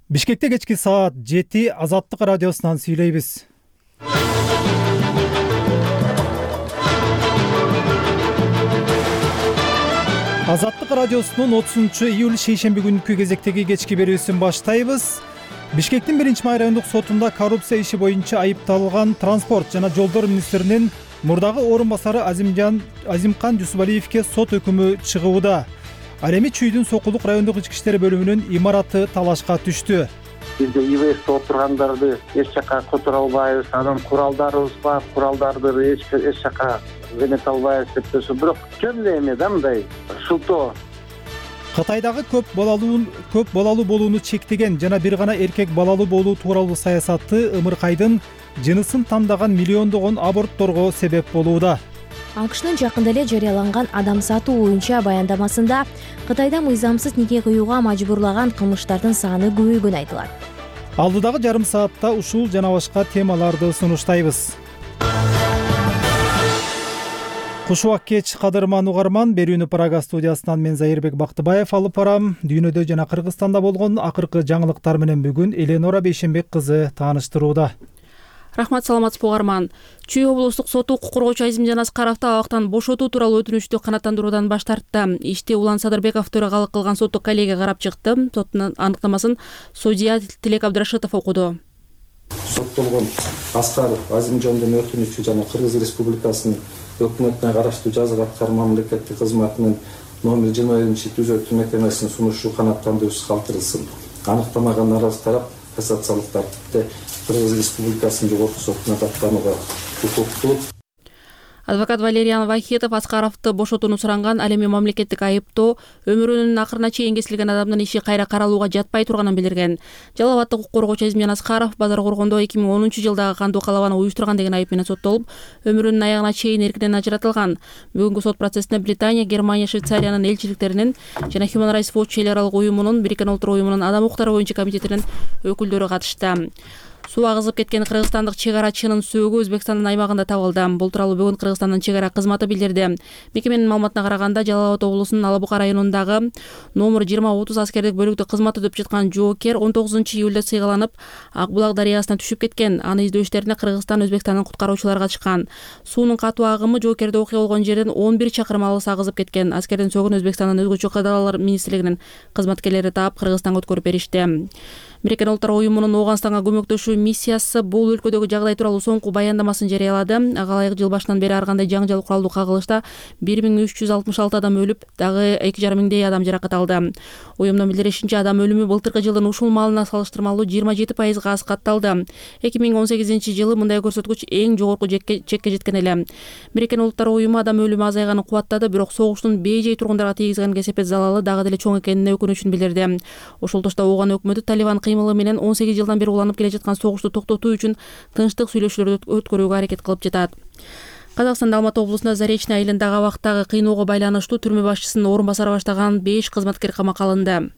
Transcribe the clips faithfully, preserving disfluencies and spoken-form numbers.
Бишкекте кечки саат жети Азаттык радиосунан сүйлөйбүз. Азаттык радиосунун отузунчу июль шейшемби күнкү кезектеги кечки берүүсүн баштайбыз. Бишкектин биринчи май райондук сотунда коррупция иши боюнча айыпталган транспорт жана жолдор министринин мурдагы орун басары Азимжан Азимкан Жусупалиевке сот өкүмү чыгууда. Ал эми Чүйдүн Сокулук райондук ички иштер бөлүмүнүн имараты талашка түштү. Бизде ИВСте отургандарды эч жака которо албайбыз, анан куралдарыбыз бар, куралдарды эч эч жака эмете албайбыз деп турсу, бирок жөн эле эме да мындай шылтоо. Кытайдагы көп балалуу көп балалуу болууну чектеген жана бир гана эркек балалуу болуу тууралуу саясаты ымыркайдын жынысын тандаган миллиондогон абортторго себеп болууда. АКШнын жакында эле жарыяланган адам сатуу боюнча баяндамасында Кытайда мыйзамсыз неке кыюуга мажбурлаган кылмыштардын саны көбөйгөнү айтылат. Алдыдагы жарым саатта ушул жана башка темаларды сунуштайбыз. Куш убак кеч кадырман угарман, берүүнү Прага студиясынан мен Зайырбек Бактыбаев алып барам. Дүйнөдө жана Кыргызстанда болгон акыркы жаңылыктар менен бүгүн Эленора Бейшенбек кызы тааныштырууда. Рахмат, саламатсызбы угарман. Чүй облустук соту укук коргоочу Азимжан Аскаровду абактан бошотуу тууралуу өтүнүчтү канааттандыруудан баш тартты. Ишти Улан Садырбеков төрагалык кылган соттук коллегия карап чыкты. Соттун аныктамасын судья Тилек Абдрашитов окуду. Соттолгон Аскаров Азимжандын өтүнүчү жана Кыргыз Республикасынын өкмөтүнө караштуу жазга аткаруу мамлекеттик кызматынын номер жыйырма биринчи түзөтүү мекемесинин сунушу канааттандыруусу калтырылсын. Аныктамага наразы тарап кассациялык тартипте Кыргыз Республикасынын жогорку сотуна даттанууга укуктуу. Адвокат Валериан Вахитов Аскаровду бошотууну суранган, ал эми мамлекеттик айыптоо өмүрүнүн акырына чейин кесилген адамдын иши кайра каралууга жатпай турганын билдирген. Жалал абаддык укук коргоочу Азимжан Аскаров базар коргондо эки миң онунчу жылдагы кандуу калабаны уюштурган деген айып менен соттолуп, өмүрүнүн аягына чейин эркинен ажыратылган. Бүгүнкү сот процессине Британия, Германия, Швейцариянын элчиликтеринин жана Human Rights Watch эл аралык уюмунун, Бириккен Улуттар уюмунун адам укуктары боюнча комитетинин өкүлдөрү катышты. Суу агызып кеткен кыргызстандык чек арачынын сөөгү Өзбекстандын аймагында табылды. Бул тууралуу бүгүн Кыргызстандын чек ара кызматы билдирди. Мекеменин маалыматына караганда, Жалал Абад облусунун Ала Бука районундагы номер жыйырма отуз аскердик бөлүктө кызмат өтөп жаткан жоокер он тогузунчу июлда сыйгаланып, Ак булак дарыясына түшүп кеткен. Аны издөө иштерине Кыргызстан, Өзбекстандын куткаруучулары катышкан. Суунун катуу агымы жоокерде окуя болгон жерден он бир чакырым алыс агызып кеткен. Аскердин сөөгүн Өзбекстандын өзгөчө кадалар министрлигинин кызматкерлери таап Кыргызстанга өткөрүп беришти. Бириккен Улуттар уюмунун Ооганстанга көмөктөшүү миссиясы бул өлкөдөгү жагдай тууралуу соңку баяндамасын жарыялады. Ага ылайык жыл башынан бери ар кандай жаңжал куралдуу кагылышта бир миң үч жүз алтымыш алты адам өлүп, дагы эки жарым миңдей адам жаракат алды. Уюмдун билдиришинче, адам өлүмү былтыркы жылдын ушул маалына салыштырмалуу жыйырма жети пайызга аз катталды. эки миң он сегизинчи жылы мындай көрсөткүч эң жогорку чекке жеткен эле. Бириккен Улуттар уюму адам өлүмү азайганын кубаттады, бирок согуштун бейжай тургундарга тийгизген кесепет залалы дагы деле чоң экенине өкүнүчүн билдирди. Ошол тошто Ооган өкмөтү Талибан кыймылы менен он сегиз жылдан бери уланып келе жаткан согушту токтотуу үчүн тынчтык сүйлөшүүлөрдү өткөрүүгө аракет кылып жатат. Казакстанда Алматы облусунда Заречный айылындагы абактагы кыйноого байланыштуу түрмө башчысынын орун басары баштаган беш кызматкер камакка алынды.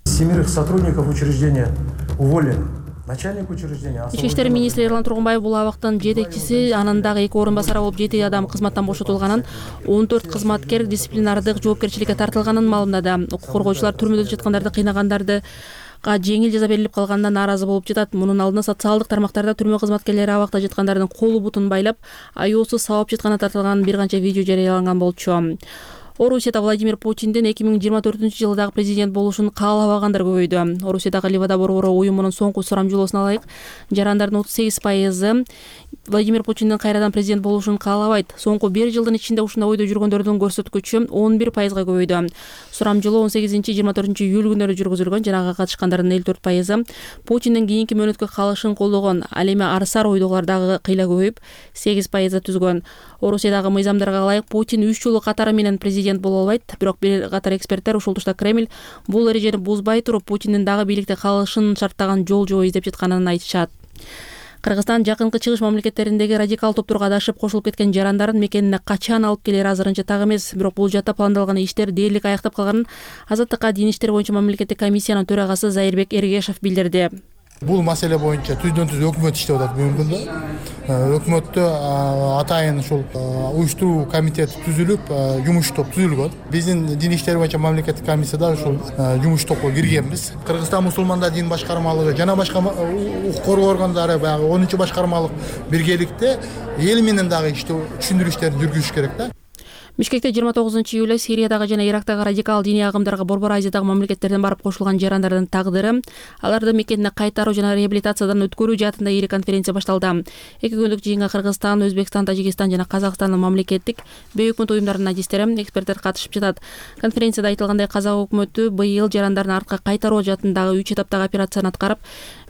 Семерых сотрудников учреждения уволены. Начальник учреждения. Ички иштер министри Эрлан Тургунбаев бул абактын жетекчиси, анын дагы эки орун басары болуп жети адам кызматтан бошотулганын, он төрт кызматкер дисциплинардык жоопкерчиликке тартылганын маалымдады. Укук коргоочулар түрмөдө жаткандарды кыйнагандарды жеңил жаза берилип калганына нааразы болуп жатат. Мунун алдына социалдык тармактарда түрмө кызматкерлери абакта жаткандардын колу бутун байлап, аюусуз сабап жатканы тартылган бир канча видео жарыяланган болчу. Орусияда Владимир Путиндин эки миң жыйырма төртүнчү жылдагы президент болушун каалабагандар көбөйдү. Орусиядагы Ливада борбору уюмунун соңку сурамжылоосуна ылайык, жарандардын отуз сегиз пайызы Владимир Путиндин кайрадан президент болушун каалабайт. Соңку бир жылдын ичинде ушундай ойдо жүргөндөрдүн көрсөткүчү он бир пайызга көбөйдү. Сурамжылоо он сегизинчи жыйырма төртүнчү июль күндөрү жүргүзүлгөн, жана ага катышкандардын элүү төрт пайызы Путиндин кийинки мөөнөткө калышын колдогон. Ал эми арсар ойдогулар дагы кыйла көбөйүп, сегиз пайызды түзгөн. Орусиядагы мыйзамдарга ылайык Путин үч жолу катары менен президент боло албайт, бирок бир катар эксперттер ушул тушта Кремль бул эрежени бузбай туруп Путиндин дагы бийликте калышын шарттаган жол жобо издеп жатканын айтышат. Кыргызстан жакынкы чыгыш мамлекеттериндеги радикал топторго адашып кошулуп кеткен жарандарын мекенине качан алып келери азырынча так эмес, бирок бул жакта пландалган иштер дээрлик аяктап калганын Азаттыкка дин иштери боюнча мамлекеттик комиссиянын төрагасы Зайырбек Эргешев билдирди. Бул маселе боюнча түздөн түз өкмөт иштеп атат бүгүнкү күндө. Өкмөттө атайын ушул уюштуруу комитети түзүлүп, жумуш топ түзүлгөн. Биздин дин иштери боюнча мамлекеттик комиссияда ушул жумуш топко киргенбиз. Кыргызстан мусулмандар дин башкармалыгы жана башка укук коргоо органдары баягы онунчу башкармалык биргеликте эл менен дагы иштөө түшүндүрүү иштерин жүргүзүш керек да. Бишкекте жыйырма тогузунчу июлда Сириядагы жана Ирактагы радикал диний агымдарга Борбор Азиядагы мамлекеттерден барып кошулган жарандардын тагдыры, аларды мекенине кайтаруу жана реабилитациядан өткөрүү жаатында ири конференция башталды. Эки күндүк жыйынга Кыргызстан, Өзбекстан, Тажикстан жана Казакстандын мамлекеттик бейөкмөт уюмдарынын адистери, эксперттер катышып жатат. Конференцияда айтылгандай, Казак өкмөтү быйыл жарандардын артка кайтаруу жаатындагы үч этаптагы операцияны аткарып,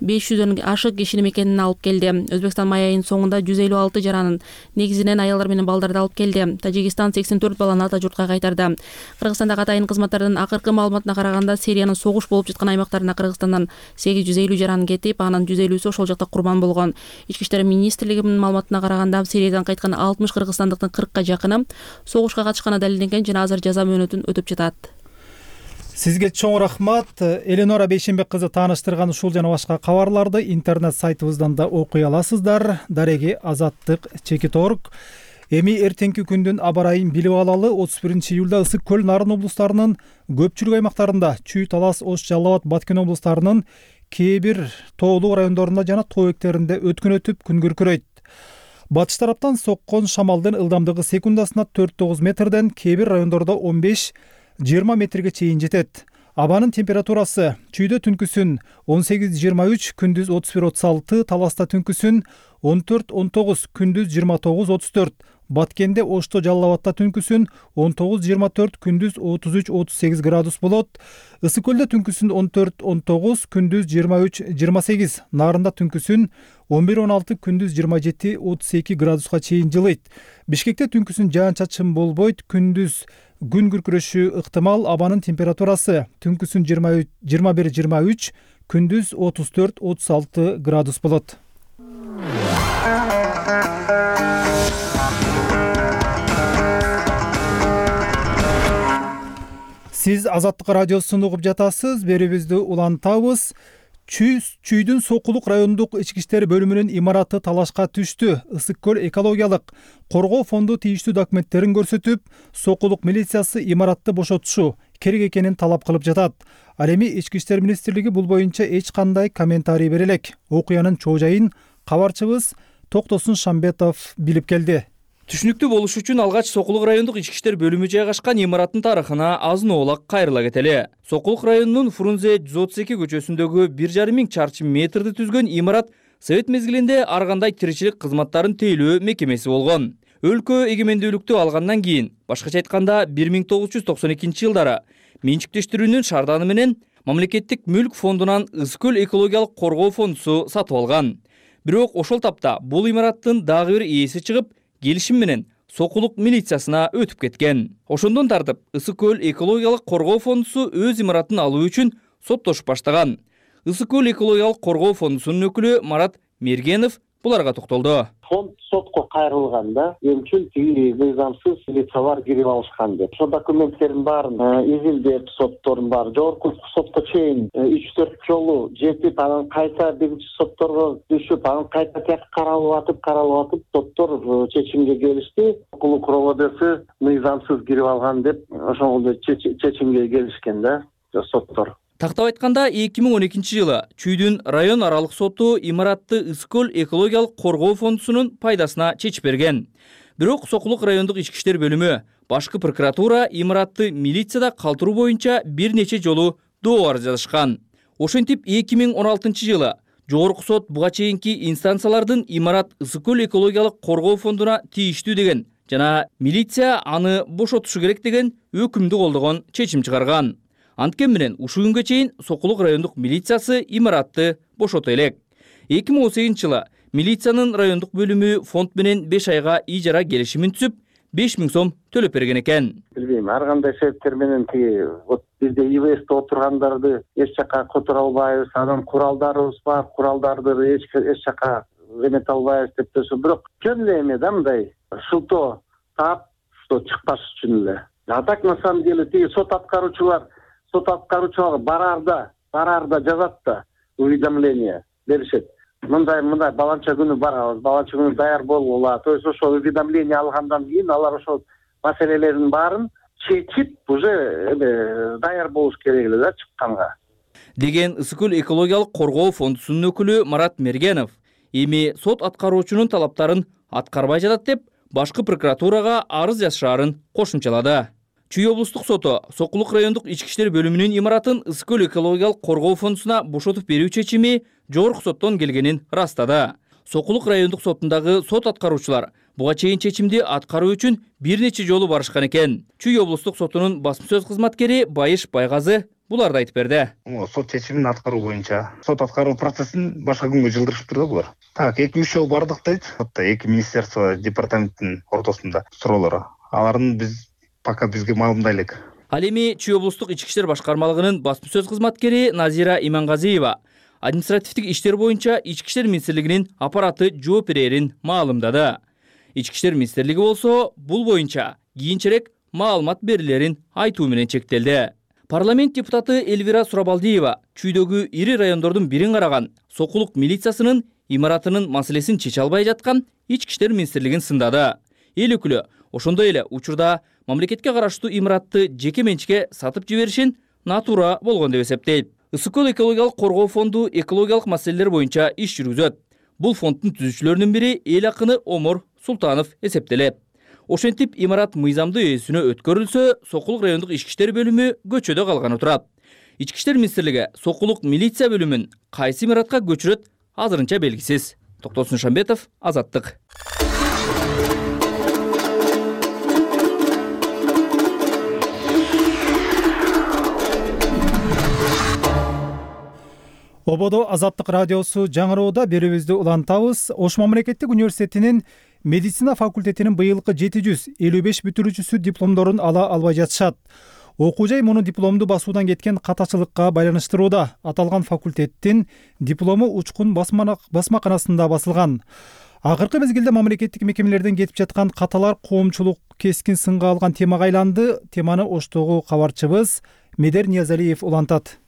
беш жүздөн ашык кишини мекенине алып келди. Өзбекстан май айынын соңунда жүз элүү алты жаранын, негизинен аялдар менен балдарды алып келди. Тажикстан сексен төрт баланы ата журтка кайтарды. Кыргызстандагы атайын кызматтардын акыркы маалыматына караганда, Сириянын согуш болуп жаткан аймактарына Кыргызстандан сегиз жүз элүү жаран кетип, анын жүз элүүсү ошол жакта курман болгон. Ички иштер министрлигинин маалыматына караганда, Сириядан кайткан алтымыш кыргызстандыктын кыркка жакыны согушка катышканы далилденген жана азыр жаза мөөнөтүн өтүп жатат. Сизге чоң рахмат. Эленора Бейшенбек кызы тааныштырган ушул жана башка кабарларды интернет сайтыбыздан да окуй аласыздар. Дареги Азаттык чекит точка орг. Эми эртеңки күндүн аба ырайын билип алалы. отуз биринчи июлда Ысык көл, Нарын облустарынын көпчүлүк аймактарында, Чүй, Талас, Ош, Жалал Абад, Баткен облустарынын кээ бир тоолуу райондорунда жана тоо бектеринде өткүн өтүп, күн күркүрөйт. Батыш тараптан соккон шамалдын ылдамдыгы секундасына төрт тогуз метрден, кээ бир райондордо он беш жыйырма метрге чейин жетет. Абанын температурасы Чүйдө түнкүсүн он сегиз жыйырма үч, күндүз отуз бир отуз алты, Таласта түнкүсүн он төрт он тогуз, күндүз жыйырма тогуз отуз төрт, Баткенде, Ошто, Жалал Абадта түнкүсүн он тогуз жыйырма төрт, күндүз отуз үч отуз сегиз градус болот. Ысык көлдө түнкүсүн он төрт он тогуз, күндүз жыйырма үч жыйырма сегиз, Нарында түнкүсүн он бир он алты, күндүз жыйырма жети отуз эки градуска чейин жылыйт. Бишкекте түнкүсүн жаан-чачын болбойт, күндүз күн күркүрөшү ыктымал. Абанын температурасы түнкүсүн жыйырма бир жыйырма үч, күндүз отуз төрт отуз алты градус болот. Сиз Азаттык радиосун угуп жатасыз. Берүүбүздү улантабыз. Чүй, Чүйдүн Сокулук райондук ички иштер бөлүмүнүн имараты талашка түштү. Ысык көл экологиялык коргоо фонду тийиштүү документтерин көрсөтүп, Сокулук милициясы имаратты бошотушу керек экенин талап кылып жатат. Ал эми ички иштер министрлиги бул боюнча эч кандай комментарий бере элек. Окуянын чоо жайын кабарчыбыз Токтосун Шамбетов билип келди. Түшүнүктүү болуш үчүн алгач Сокулук райондук ички иштер бөлүмү жайгашкан имараттын тарыхына азын-оолак кайрыла кетели. Сокулук районунун Фрунзе жүз отуз эки көчөсүндөгү бир жарым миң чарчы метрди түзгөн имарат Совет мезгилинде ар кандай тиричилик кызматтарын тейлөө мекемеси болгон. Өлкө эгемендүүлүктү алгандан кийин, башкача айтканда бир миң тогуз жүз токсон экинчи жылдары менчиктештирүүнүн шаарданы менен мамлекеттик мүлк фондунан Ысык көл экологиялык коргоо фондусу сатып алган. Бирок ошол тапта бул имараттын дагы бир ээси чыгып, келишим менен Сокулук милициясына өтүп кеткен. Ошондон тартып Ысык көл экологиялык коргоо фондусу өз имаратын алуу үчүн соттошуп баштаган. Ысык көл экологиялык коргоо фондусунун өкүлү Марат Мергенов буларга токтолду. Фонд сотко кайрылган да, эмчил тиги мыйзамсыз лицалар кирип алышкан деп. Ошо документтердин баарын изилдеп, соттордун баары жогорку сотко чейин үч төрт жолу жетип, анан кайта биринчи сотторго түшүп, анан кайта тияка каралып атып, каралып атып, соттор чечимге келишти. Сокулук РОВДсы мыйзамсыз кирип алган деп, ошондо чечимге келишкен да соттор. Тактап айтканда, эки миң он экинчи жылы Чүйдүн район аралык соту имаратты Ысык көл экологиялык коргоо фондусунун пайдасына чечип берген. Бирок Сокулук райондук ички иштер бөлүмү, башкы прокуратура имаратты милицияда калтыруу боюнча бир нече жолу доо арыз жазышкан. Ошентип эки миң он алтынчы жылы жогорку сот буга чейинки инстанциялардын имарат Ысык көл экологиялык коргоо фондуна тийиштүү деген жана милиция аны бошотушу керек деген өкүмдү колдогон чечим чыгарган. Анткени менен ушул күнгө чейин Сокулук райондук милициясы имаратты бошото элек. эки миң он сегизинчи жылы милициянын райондук бөлүмү фонд менен беш айга ижара келишимин түзүп, беш миң сом төлөп берген экен. Билбейм, ар кандай себептер менен тиги вот бизде ИВСте отургандарды эч жака которо албайбыз, анан куралдарыбыз бар, куралдарды эч эч жака эмете албайбыз деп турсу, бирок жөн эле эме да мындай шылтоо таап, что чыкпаш үчүн эле. А так на самом деле тиги сот аткаруучулар Сот аткаруучулар бараарда, бараарда жазат да уведомление. беришет. Мындай мындай баланча күнү барабыз, баланча күнү даяр болгула. То есть ошо уведомление алгандан кийин алар ошол маселелердин баарын чечип уже эме даяр болуш керек эле да чыкканга деген Ысык көл экологиялык коргоо фондусунун өкүлү Марат Мергенов. Эми сот аткаруучунун талаптарын аткарбай жатат деп башкы прокуратурага арыз жазышаарын кошумчалады. Чүй облустук соту Сокулук райондук ички иштер бөлүмүнүн имаратын Ысык көл экологиялык коргоо фондусуна бошотуп берүү чечими жогорку соттон келгенин ырастады. Сокулук райондук сотундагы сот аткаруучулар буга чейин чечимди аткаруу үчүн бир нече жолу барышкан экен. Чүй облустук сотунун басма сөз кызматкери Байыш Байгазы буларды айтып берди. Сот чечимин аткаруу боюнча сот аткаруу процессин башка күнгө жылдырышыптыр да булар. Так, эки үч жол бардык дейт. Сотто эки министерство, департаменттин ортосунда суроолор. Алардын биз пока бизге маалымдай элек. Ал эми Чүй облустук ички иштер башкармалыгынын басма сөз кызматкери Назира Имангазиева административдик иштер боюнча ички иштер министрлигинин аппараты жооп берерин маалымдады. Ички иштер министрлиги болсо бул боюнча кийинчерээк маалымат берилерин айтуу менен чектелди. Парламент депутаты Элвира Сурабалдиева Чүйдөгү ири райондордун бирин караган Сокулук милициясынын имаратынын маселесин чече албай жаткан ички иштер министрлигин сындады. Эл өкүлү ошондой эле учурда мамлекетке караштуу имаратты жеке менчикке сатып жиберишин натуура болгон деп эсептейт. Ысык көл экологиялык коргоо фонду экологиялык маселелер боюнча иш жүргүзөт. Бул фонддун түзүүчүлөрүнүн бири эл акыны Омор Султанов эсептелет. Ошентип имарат мыйзамдуу ээсине өткөрүлсө, Сокулук райондук ички иштер бөлүмү көчөдө калганы турат. Ички иштер министрлиги Сокулук милиция бөлүмүн кайсы имаратка көчүрөт азырынча белгисиз. Токтосун Шамбетов, Азаттык. Ободо Азаттык радиосу жаңыроодо берүүбүздү улантабыз. Ош мамлекеттик университетинин медицина факультетинин быйылкы жети жүз элүү беш бүтүрүүчүсү дипломдорун ала албай жатышат. Окуу жай муну дипломду басуудан кеткен катачылыкка байланыштырууда. Аталган факультеттин диплому Учкун басмаканасында басылган. Акыркы мезгилде мамлекеттик мекемелерден кетип жаткан каталар коомчулук кескин сынга алган темага айланды. Теманы Оштогу кабарчыбыз Медер Ниязалиев улантат.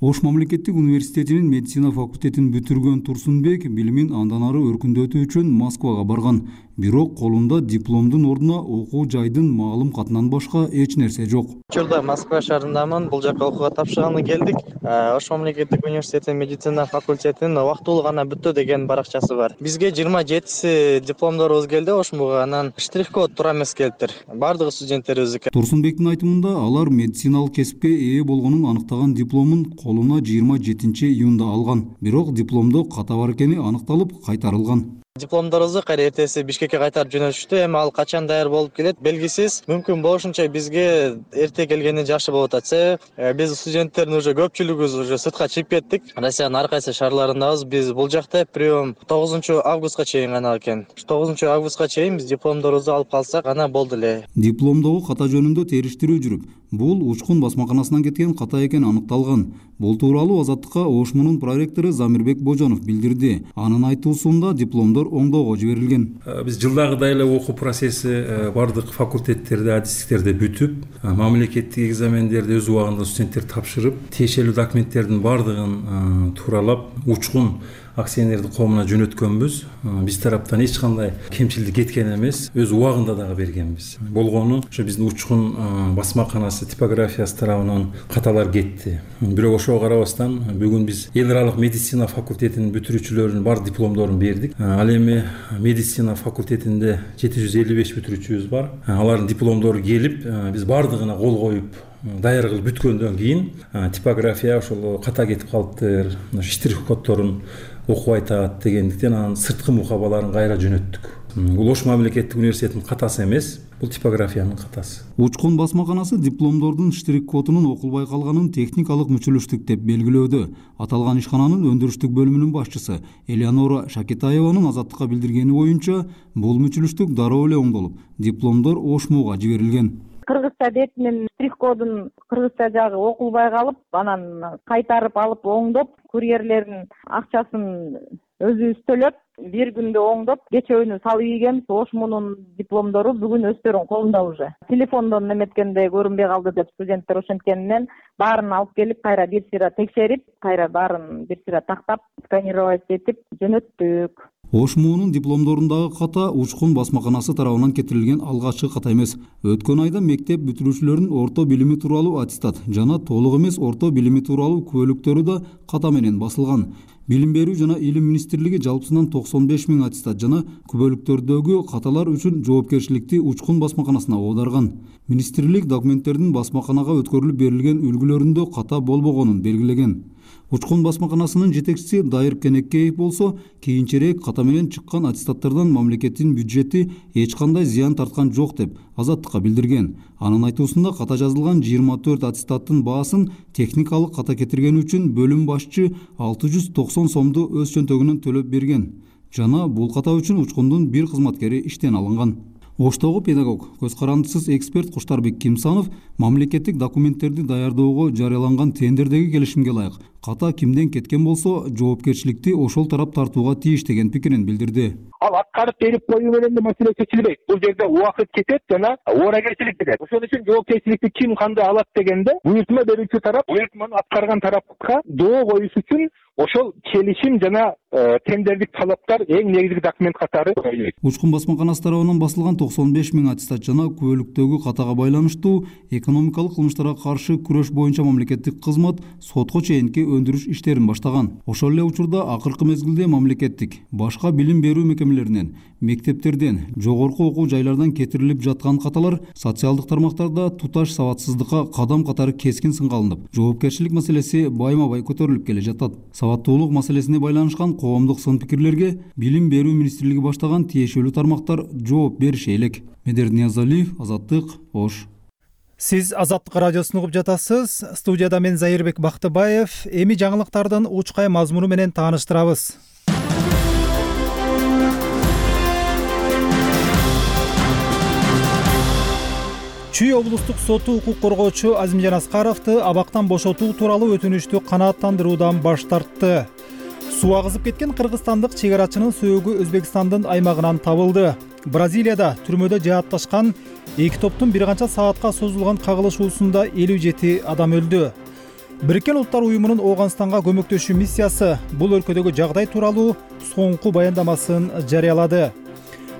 Ош мамлекеттик университетинин медицина факультетин бүтүргөн Турсунбек билимин андан ары өркүндөтүү үчүн Москвага барган. Бирок колунда дипломдун ордуна окуу жайдын маалым катынан башка эч нерсе жок. Учурда Москва шаарындамын. Бул жака окууга тапшырганы келдик. Ош мамлекеттик университетинин медицина факультетинин убактылуу гана бүттү деген баракчасы бар. Бизге жыйырма жетиси дипломдорубуз келди Ошмуга, анан штрих-код туура эмес келиптир. Бардыгы студенттерибиздики. Турсунбектин айтымында алар медициналык кесипке ээ болгонун аныктаган дипломун колуна жыйырма жетинчи июнда алган. Бирок дипломдо ката бар экени аныкталып кайтарылган. Дипломдорубузду кайра эртеси Бишкекке кайтарып жөнөтүштү. Эми ал качан даяр болуп келет белгисиз. Мүмкүн болушунча бизге эрте келгени жакшы болот атса. Биз студенттердин уже көпчүлүгүбүз уже сыртка чыгып кеттик. Россиянын ар кайсы шаарларындабыз. Биз бул жакта прием тогузунчу августка чейин гана экен. тогузунчу августка чейин биз дипломдорубузду алып калсак гана болду эле. Дипломдогу ката жөнүндө териштирүү жүрүп, бул Учкун басмаканасынан кеткен ката экени аныкталган. Бул тууралуу Азаттыкка Ошмунун проректору Замирбек Божонов билдирди. Анын айтуусунда дипломдор оңдоого жиберилген. Биз жылдагыдай эле окуу процесси бардык факультеттерде, адистиктерде бүтүп, мамлекеттик экзамендерди өз убагында студенттер тапшырып, тиешелүү документтердин бардыгын тууралап Учкун акционердик коомуна жөнөткөнбүз. Биз тараптан эч кандай кемчилдик кеткен эмес, өз убагында дагы бергенбиз. Болгону ошо биздин Учкун басмаканасы типографиясы тарабынан каталар кетти. Бирок ошого карабастан бүгүн биз эл аралык медицина факультетинин бүтүрүүчүлөрүнүн бар дипломдорун бердик. Ал эми медицина факультетинде жети жүз элүү беш бүтүрүүчүбүз бар. Алардын дипломдору келип, биз бардыгына кол коюп даяр кылып бүткөндөн кийин типография ошол ката кетип калыптыр, штрих коддорун окуп айтат дегендиктен анын сырткы мукабаларын кайра жөнөттүк. Бул Ош мамлекеттик университетинин катасы эмес, бул типографиянын катасы. Учкун басмаканасы дипломдордун штрих кодунун окулбай калганын техникалык мүчүлүштүк деп белгилөөдө. Аталган ишкананын өндүрүштүк бөлүмүнүн башчысы Элеонора Шакетаеванын Азаттыкка билдиргени боюнча, бул мүчүлүштүк дароо эле оңдолуп, дипломдор Ошмуга жиберилген. Кыргызча бетинин штрих-кодун кыргызча жагы окулбай калып, анан кайтарып алып оңдоп, курьерлердин акчасын өзүбүз төлөп, бир күндө оңдоп кечөөнү салып ийгенбиз. Ошмунун дипломдору бүгүн өздөрүнүн колунда уже. Телефондон неметкенде көрүнбөй калды деп студенттер ошенткенинен баарын алып келип кайра бир сыйра текшерип, кайра баарын бир сыйра тактап, сканировать этип жөнөттүк. ОШМУнун дипломдорундагы ката учкун басмаканасы тарабынан кетирилген алгачкы ката эмес. Өткөн айда мектеп бүтүрүүчүлөрүнүн орто билими тууралуу аттестат жана толук эмес орто билими тууралуу күбөлүктөрү да ката менен басылган. Билим берүү жана илим министрлиги жалпысынан токсон беш миң аттестат жана күбөлүктөрдөгү каталар үчүн жоопкерчиликти учкун басмаканасына оодарган. Министрлик документтердин басмаканага өткөрүлүп берилген үлгүлөрүндө ката болбогонун белгилеген. Учкун басмаканасынын жетекчиси Дайыр Кенекеев болсо, кийинчерээк ката менен чыккан аттестаттардан мамлекеттин бюджети эч кандай зыян тарткан жок деп Азаттыкка билдирген. Анын айтуусунда ката жазылган жыйырма төрт аттестаттын баасын техникалык ката кетиргени үчүн бөлүм башчы алты жүз токсон сомду өз чөнтөгүнөн төлөп берген жана бул ката үчүн учкундун бир кызматкери иштен алынган. Оштогу педагог, көз карандысыз эксперт Куштарбек Кимсанов мамлекеттик документтерди даярдоого жарыяланган тендердеги келишимге ылайык ката кимден кеткен болсо жоопкерчиликти ошол тарап тартууга тийиш деген пикирин билдирди. Ал аткарып берип коюу менен маселе чечилбейт. Бул жерде убакыт кетет жана ооракерчилик кетет. Ошон үчүн жоопкерчиликти ким кандай алат дегенде буйртма берүүчү тарап буйртманы аткарган тарапка доо коюш үчүн ошол келишим жана тендердик талаптар эң негизги документ катары коюлат. Учкун басмаканасы тарабынан басылган токсон беш миң аттестат жана күбөлүктөгү катага байланыштуу экономикалык кылмыштарга каршы күрөш боюнча мамлекеттик кызмат сотко чейинки өндүрүш иштерин баштаган. Ошол эле учурда акыркы мезгилде мамлекеттик башка билим берүү мекемелеринен, мектептерден, жогорку окуу жайлардан кетирилип жаткан каталар социалдык тармактарда туташ сабатсыздыкка кадам катары кескин сынга алынып, жоопкерчилик маселеси байма-бай көтөрүлүп келе жатат. Сабаттуулук маселесине байланышкан коомдук сын пикирлерге билим берүү министрлиги баштаган тиешелүү тармактар жооп бериши элек. Медер Ниязалиев, Азаттык, Ош. Сиз Азаттык радиосун угуп жатасыз. Студияда мен Зайырбек Бактыбаев. Эми жаңылыктардын учкай мазмуну менен тааныштырабыз. Чүй облустук соту укук коргоочу Азимжан Аскаровду абактан бошотуу тууралуу өтүнүштү канааттандыруудан баш тартты. Суу агызып кеткен кыргызстандык чек арачынын сөөгү Өзбекстандын аймагынан табылды. Бразилияда түрмөдө жаатташкан эки топтун бир канча саатка созулган кагылышуусунда элүү жети адам өлдү. Бириккен Улуттар уюмунун Ооганстанга көмөктөшүү миссиясы бул өлкөдөгү жагдай тууралуу соңку баяндамасын жарыялады.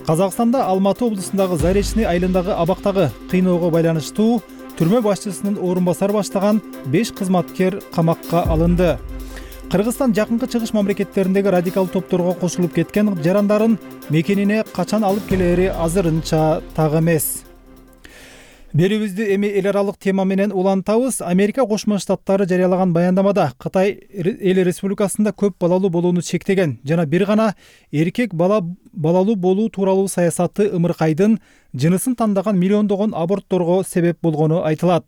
Казакстанда Алматы облусундагы Заречный айылындагы абактагы кыйноого байланыштуу түрмө башчысынын орун басары баштаган беш кызматкер камакка алынды. Кыргызстан жакынкы чыгыш мамлекеттериндеги радикал топторго кошулуп кеткен жарандарын мекенине качан алып келери азырынча так эмес. Берүүбүздү эми эл аралык тема менен улантабыз. Америка Кошмо Штаттары жарыялаган баяндамада Кытай эл республикасында көп балалуу болууну чектеген жана бир гана эркек бала балалуу болуу тууралуу саясаты ымыркайдын жынысын тандаган миллиондогон абортторго себеп болгону айтылат.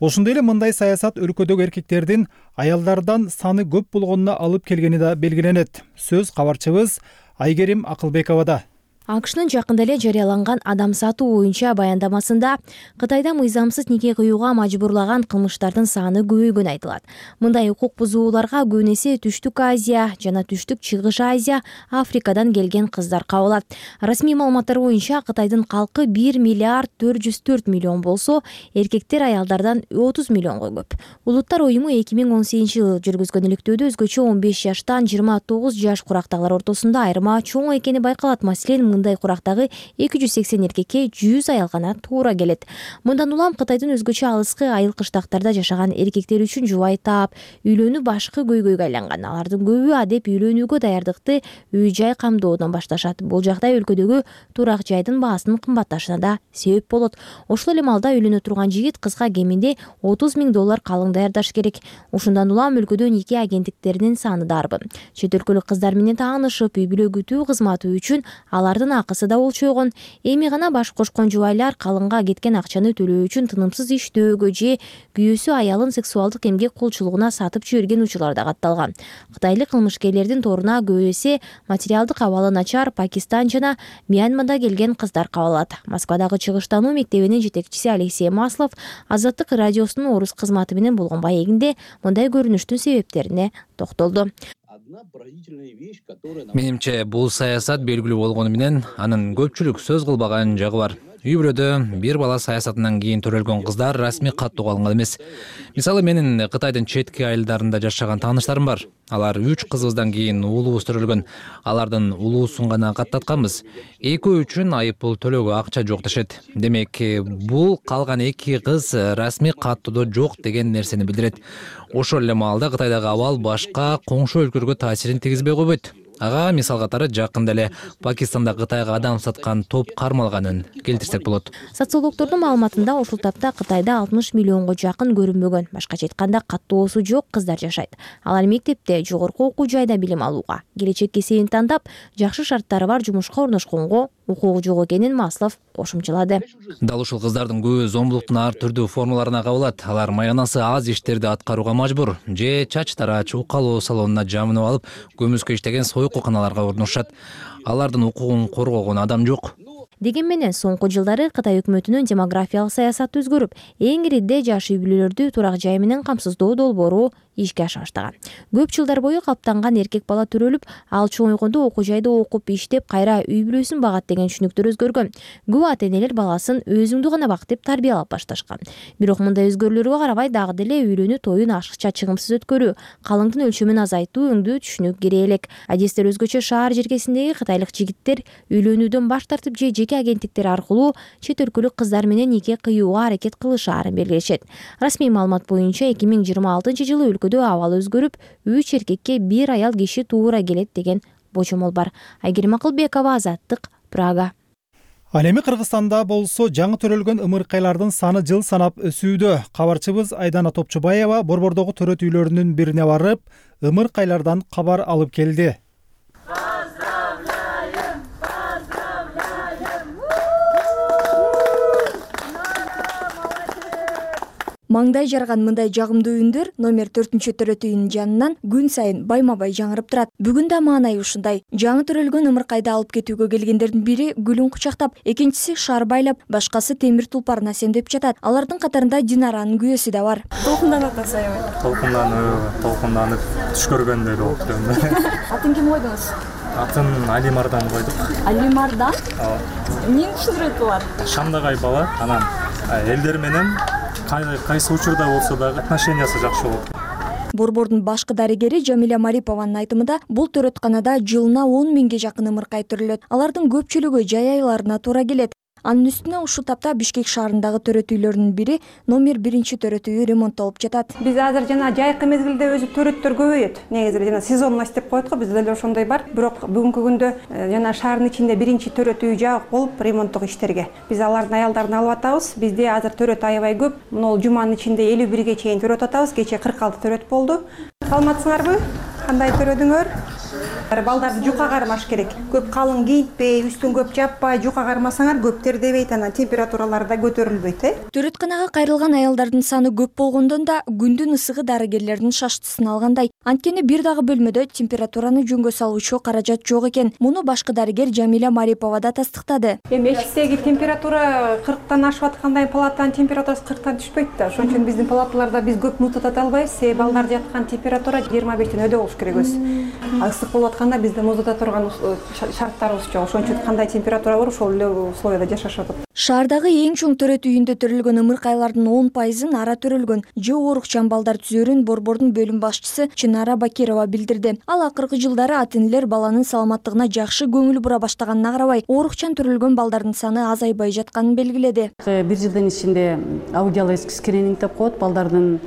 Ошондой эле мындай саясат өлкөдөгү эркектердин аялдардан саны көп болгонуна алып келгени да белгиленет. Сөз кабарчыбыз Айгерим Акылбековада. АКШнын жакында эле жарыяланган адам сатуу боюнча баяндамасында Кытайда мыйзамсыз нике кыюуга мажбурлаган кылмыштардын саны көбөйгөнү айтылат. Мындай укук бузууларга көбүн эсе Түштүк Азия жана Түштүк Чыгыш Азия, Африкадан келген кыздар кабылат. Расмий маалыматтар боюнча Кытайдын калкы бир миллиард төрт жүз төрт миллион болсо, эркектер аялдардан отуз миллионго көп. Улуттар уюму эки миң он сегизинчи жылы жүргүзгөн иликтөөдө өзгөчө он беш жаштан жыйырма тогуз жаш курактагылар ортосунда айырма чоң экени байкалат. Маселен, мындай курактагы эки жүз сексен эркекке жүз аял гана туура келет. Мындан улам Кытайдын өзгөчө алыскы айыл кыштактарда жашаган эркектер үчүн жубай таап, үйлөнүү башкы көйгөйгө айланган. Алардын көбү адеп үйлөнүүгө даярдыкты үй-жай камдоодон башташат. Бул жагдай өлкөдөгү турак жайдын баасынын кымбатташына да себеп болот. Ошол эле маалда үйлөнө турган жигит кызга кеминде отуз миң доллар калың даярдаш керек. Ушундан улам өлкөдө нике агенттиктеринин саны дарбы. Чет өлкөлүк кыздар менен таанышып, үй бүлө күтүү кызматы үчүн алардын акысы да болчойгон. Эми гана баш кошкон жубайлар калыңга кеткен акчаны төлөө үчүн тынымсыз иштөөгө же күйөөсү аялын сексуалдык эмгек кулчулугуна сатып жиберген учурлар да катталган. Кытайлык кылмышкерлердин торуна көбү эсе материалдык абалы начар Пакистан жана Мьянмада келген кыздар кабылат. Москвадагы чыгыштануу мектебинин жетекчиси Алексей Маслов Азаттык радиосунун орус кызматы менен болгон маегинде мындай көрүнүштүн себептерине токтолду. Менимче бул саясат белгилүү болгону менен анын көпчүлүк сөз кылбаган жагы бар. Үй бүлөдө бир бала саясатынан кийин төрөлгөн кыздар расмий каттууга алынган эмес. Мисалы менин Кытайдын четки айылдарында жашаган тааныштарым бар. Алар үч кызыбыздан кийин уулубуз төрөлгөн. Алардын уулуусун гана каттатканбыз. Экөө үчүн айып пул төлөөгө акча жок дешет. Демек, бул калган эки кыз расмий каттоодо жок деген нерсени билдирет. Ошол эле маалда Кытайдагы абал башка коңшу өлкөлөргө таасирин тийгизбей койбойт. Ага мисал катары жакында эле Пакистанда Кытайга адам саткан топ кармалганын келтирсек болот. Социологдордун маалыматында ушул тапта Кытайда алтымыш миллионго жакын көрүнбөгөн, башкача айтканда каттоосу жок кыздар жашайт. Алар мектепте, жогорку окуу жайда билим алууга, келечек кесибин тандап, жакшы шарттары бар жумушка орношконго укугу жок экенин Маслов кошумчалады. Дал ушул кыздардын көбү зомбулуктун ар түрдүү формаларына кабылат. Алар маянасы аз иштерди аткарууга мажбур. Же чач тарач укалоо салонуна жамынып алып, көмүскө иштеген сойкуканаларга орношот. Алардын укугун коргогон адам жок. Деген менен соңку жылдары Кытай өкмөтүнүн демографиялык саясаты өзгөрүп, эң ириде жаш үй бүлөлөрдү турак жай менен камсыздоо долбоору ишке аша баштаган. Көп жылдар бою каптанган эркек бала төрөлүп, ал чоңойгондо окуу жайда окуп иштеп, кайра үй бүлөсүн багат деген түшүнүктөр өзгөргөн. Көп ата-энелер баласын өзүңдү гана бак деп тарбиялап башташкан. Бирок мындай өзгөрүүлөргө карабай дагы деле үйлөнүү тоюн ашыкча чыгымсыз өткөрүү, калыңдын өлчөмүн азайтуу өңдүү түшүнүк керек элек. Адистер өзгөчө шаар жергесиндеги кытайлык жигиттер үйлөнүүдөн баш тартып же жеке агенттиктер аркылуу чет өлкөлүк кыздар менен нике кыюуга аракет кылышаарын белгилешет. Расмий маалымат боюнча эки миң жыйырма алтынчы жылы өлкөдө абал өзгөрүп, үч эркекке бир аял киши туура келет деген божомол бар. Айгерим Акылбекова, Азаттык, Прага. Ал эми Кыргызстанда болсо жаңы төрөлгөн ымыркайлардын саны жыл санап өсүүдө. Кабарчыбыз Айдана Топчубаева Борбордогу төрөт үйлөрүнүн бирине барып, ымыркайлардан кабар алып келди. Маңдай жарган мындай жагымдуу үндөр номер төртүнчү төрөт үйүнүн жанынан күн сайын байма-бай жаңырып турат. Бүгүн да маанай ушундай. Жаңы төрөлгөн ымыркайды алып кетүүгө келгендердин бири гүлүн кучактап, экинчиси шар байлап, башкасы темир тулпарын асемдеп жатат. Алардын катарында Динаранын күйөөсү да бар. Толкунданат аябай. Толкунданып, толкунданып түш көргөндөй болуп турат. Атын ким койдуңуз? Атын Алимардан койдук. Алимардан? Ооба. Эмнени түшүндүрөт булар? Шамдагай бала, анан элдер менен кайсы учурда болсо дагы отношениясы жакшы болот. Борбордун башкы дарыгери Жамиля Марипованын айтымында, бул төрөтканада жылына он миңге жакын ымыркай төрөлөт. Алардын көпчүлүгү жай айларына туура келет. Анын үстүнө ушул тапта Бишкек шаарындагы төрөт үйлөрүнүн бири номер биринчи төрөт үйү ремонттолуп жатат. Биз азыр жана жайкы мезгилде өзү төрөттөр көбөйөт. Негизи жана сезонность деп коет го, бизде деле ошондой бар. Бирок бүгүнкү күндө жана шаардын ичинде биринчи төрөт үй жабык болуп ремонттук иштерге. Биз алардын аялдарын алып атабыз. Бизде азыр төрөт аябай көп. Мына жуманын ичинде элүү бирге чейин төрөт атабыз. Кечээ кырк алты төрөт болду. Саламатсыңарбы? Кандай төрөдүңөр? Балдарды жука кармаш керек. Көп калың кийинтпей, үстүн көп жаппай, жука кармасаңар көп тердебейт, анан температуралары да көтөрүлбөйт, э? Төрөтканага кайрылган аялдардын саны көп болгондон да күндүн ысыгы дарыгерлердин шаштысын алгандай. Анткени бир дагы бөлмөдө температураны жөнгө салуучу каражат жок экен. Муну башкы дарыгер Жамиля Марипова да тастыктады. Эми эшиктеги температура кырктан ашып аткандай палатанын температурасы кырктан түшпөйт да. Ошон үчүн биздин палаталарда биз көп нут ата албайбыз. Себеби балдар жаткан температура жыйырма бештен өйдө болуш керек өзү. Ысык болуп атканда бизде муздата турган шарттарыбыз жок. Ошон үчүн кандай температура бар, ошол эле условияда жашашат. Шаардагы эң чоң төрөт үйүндө төрөлгөн ымыркайлардын он пайызын ара төрөлгөн. Же оорукчан балдар түзөрүн борбордун бөлүм башчысы Чынара Бакирова билдирди. Ал акыркы жылдары ата-энелер баланын саламаттыгына жакшы көңүл бура баштаганына карабай, оорукчан төрөлгөн балдардын саны азайбай жатканын белгиледи. Бир жылдын ичинде аудиологический скрининг деп коет, балдардын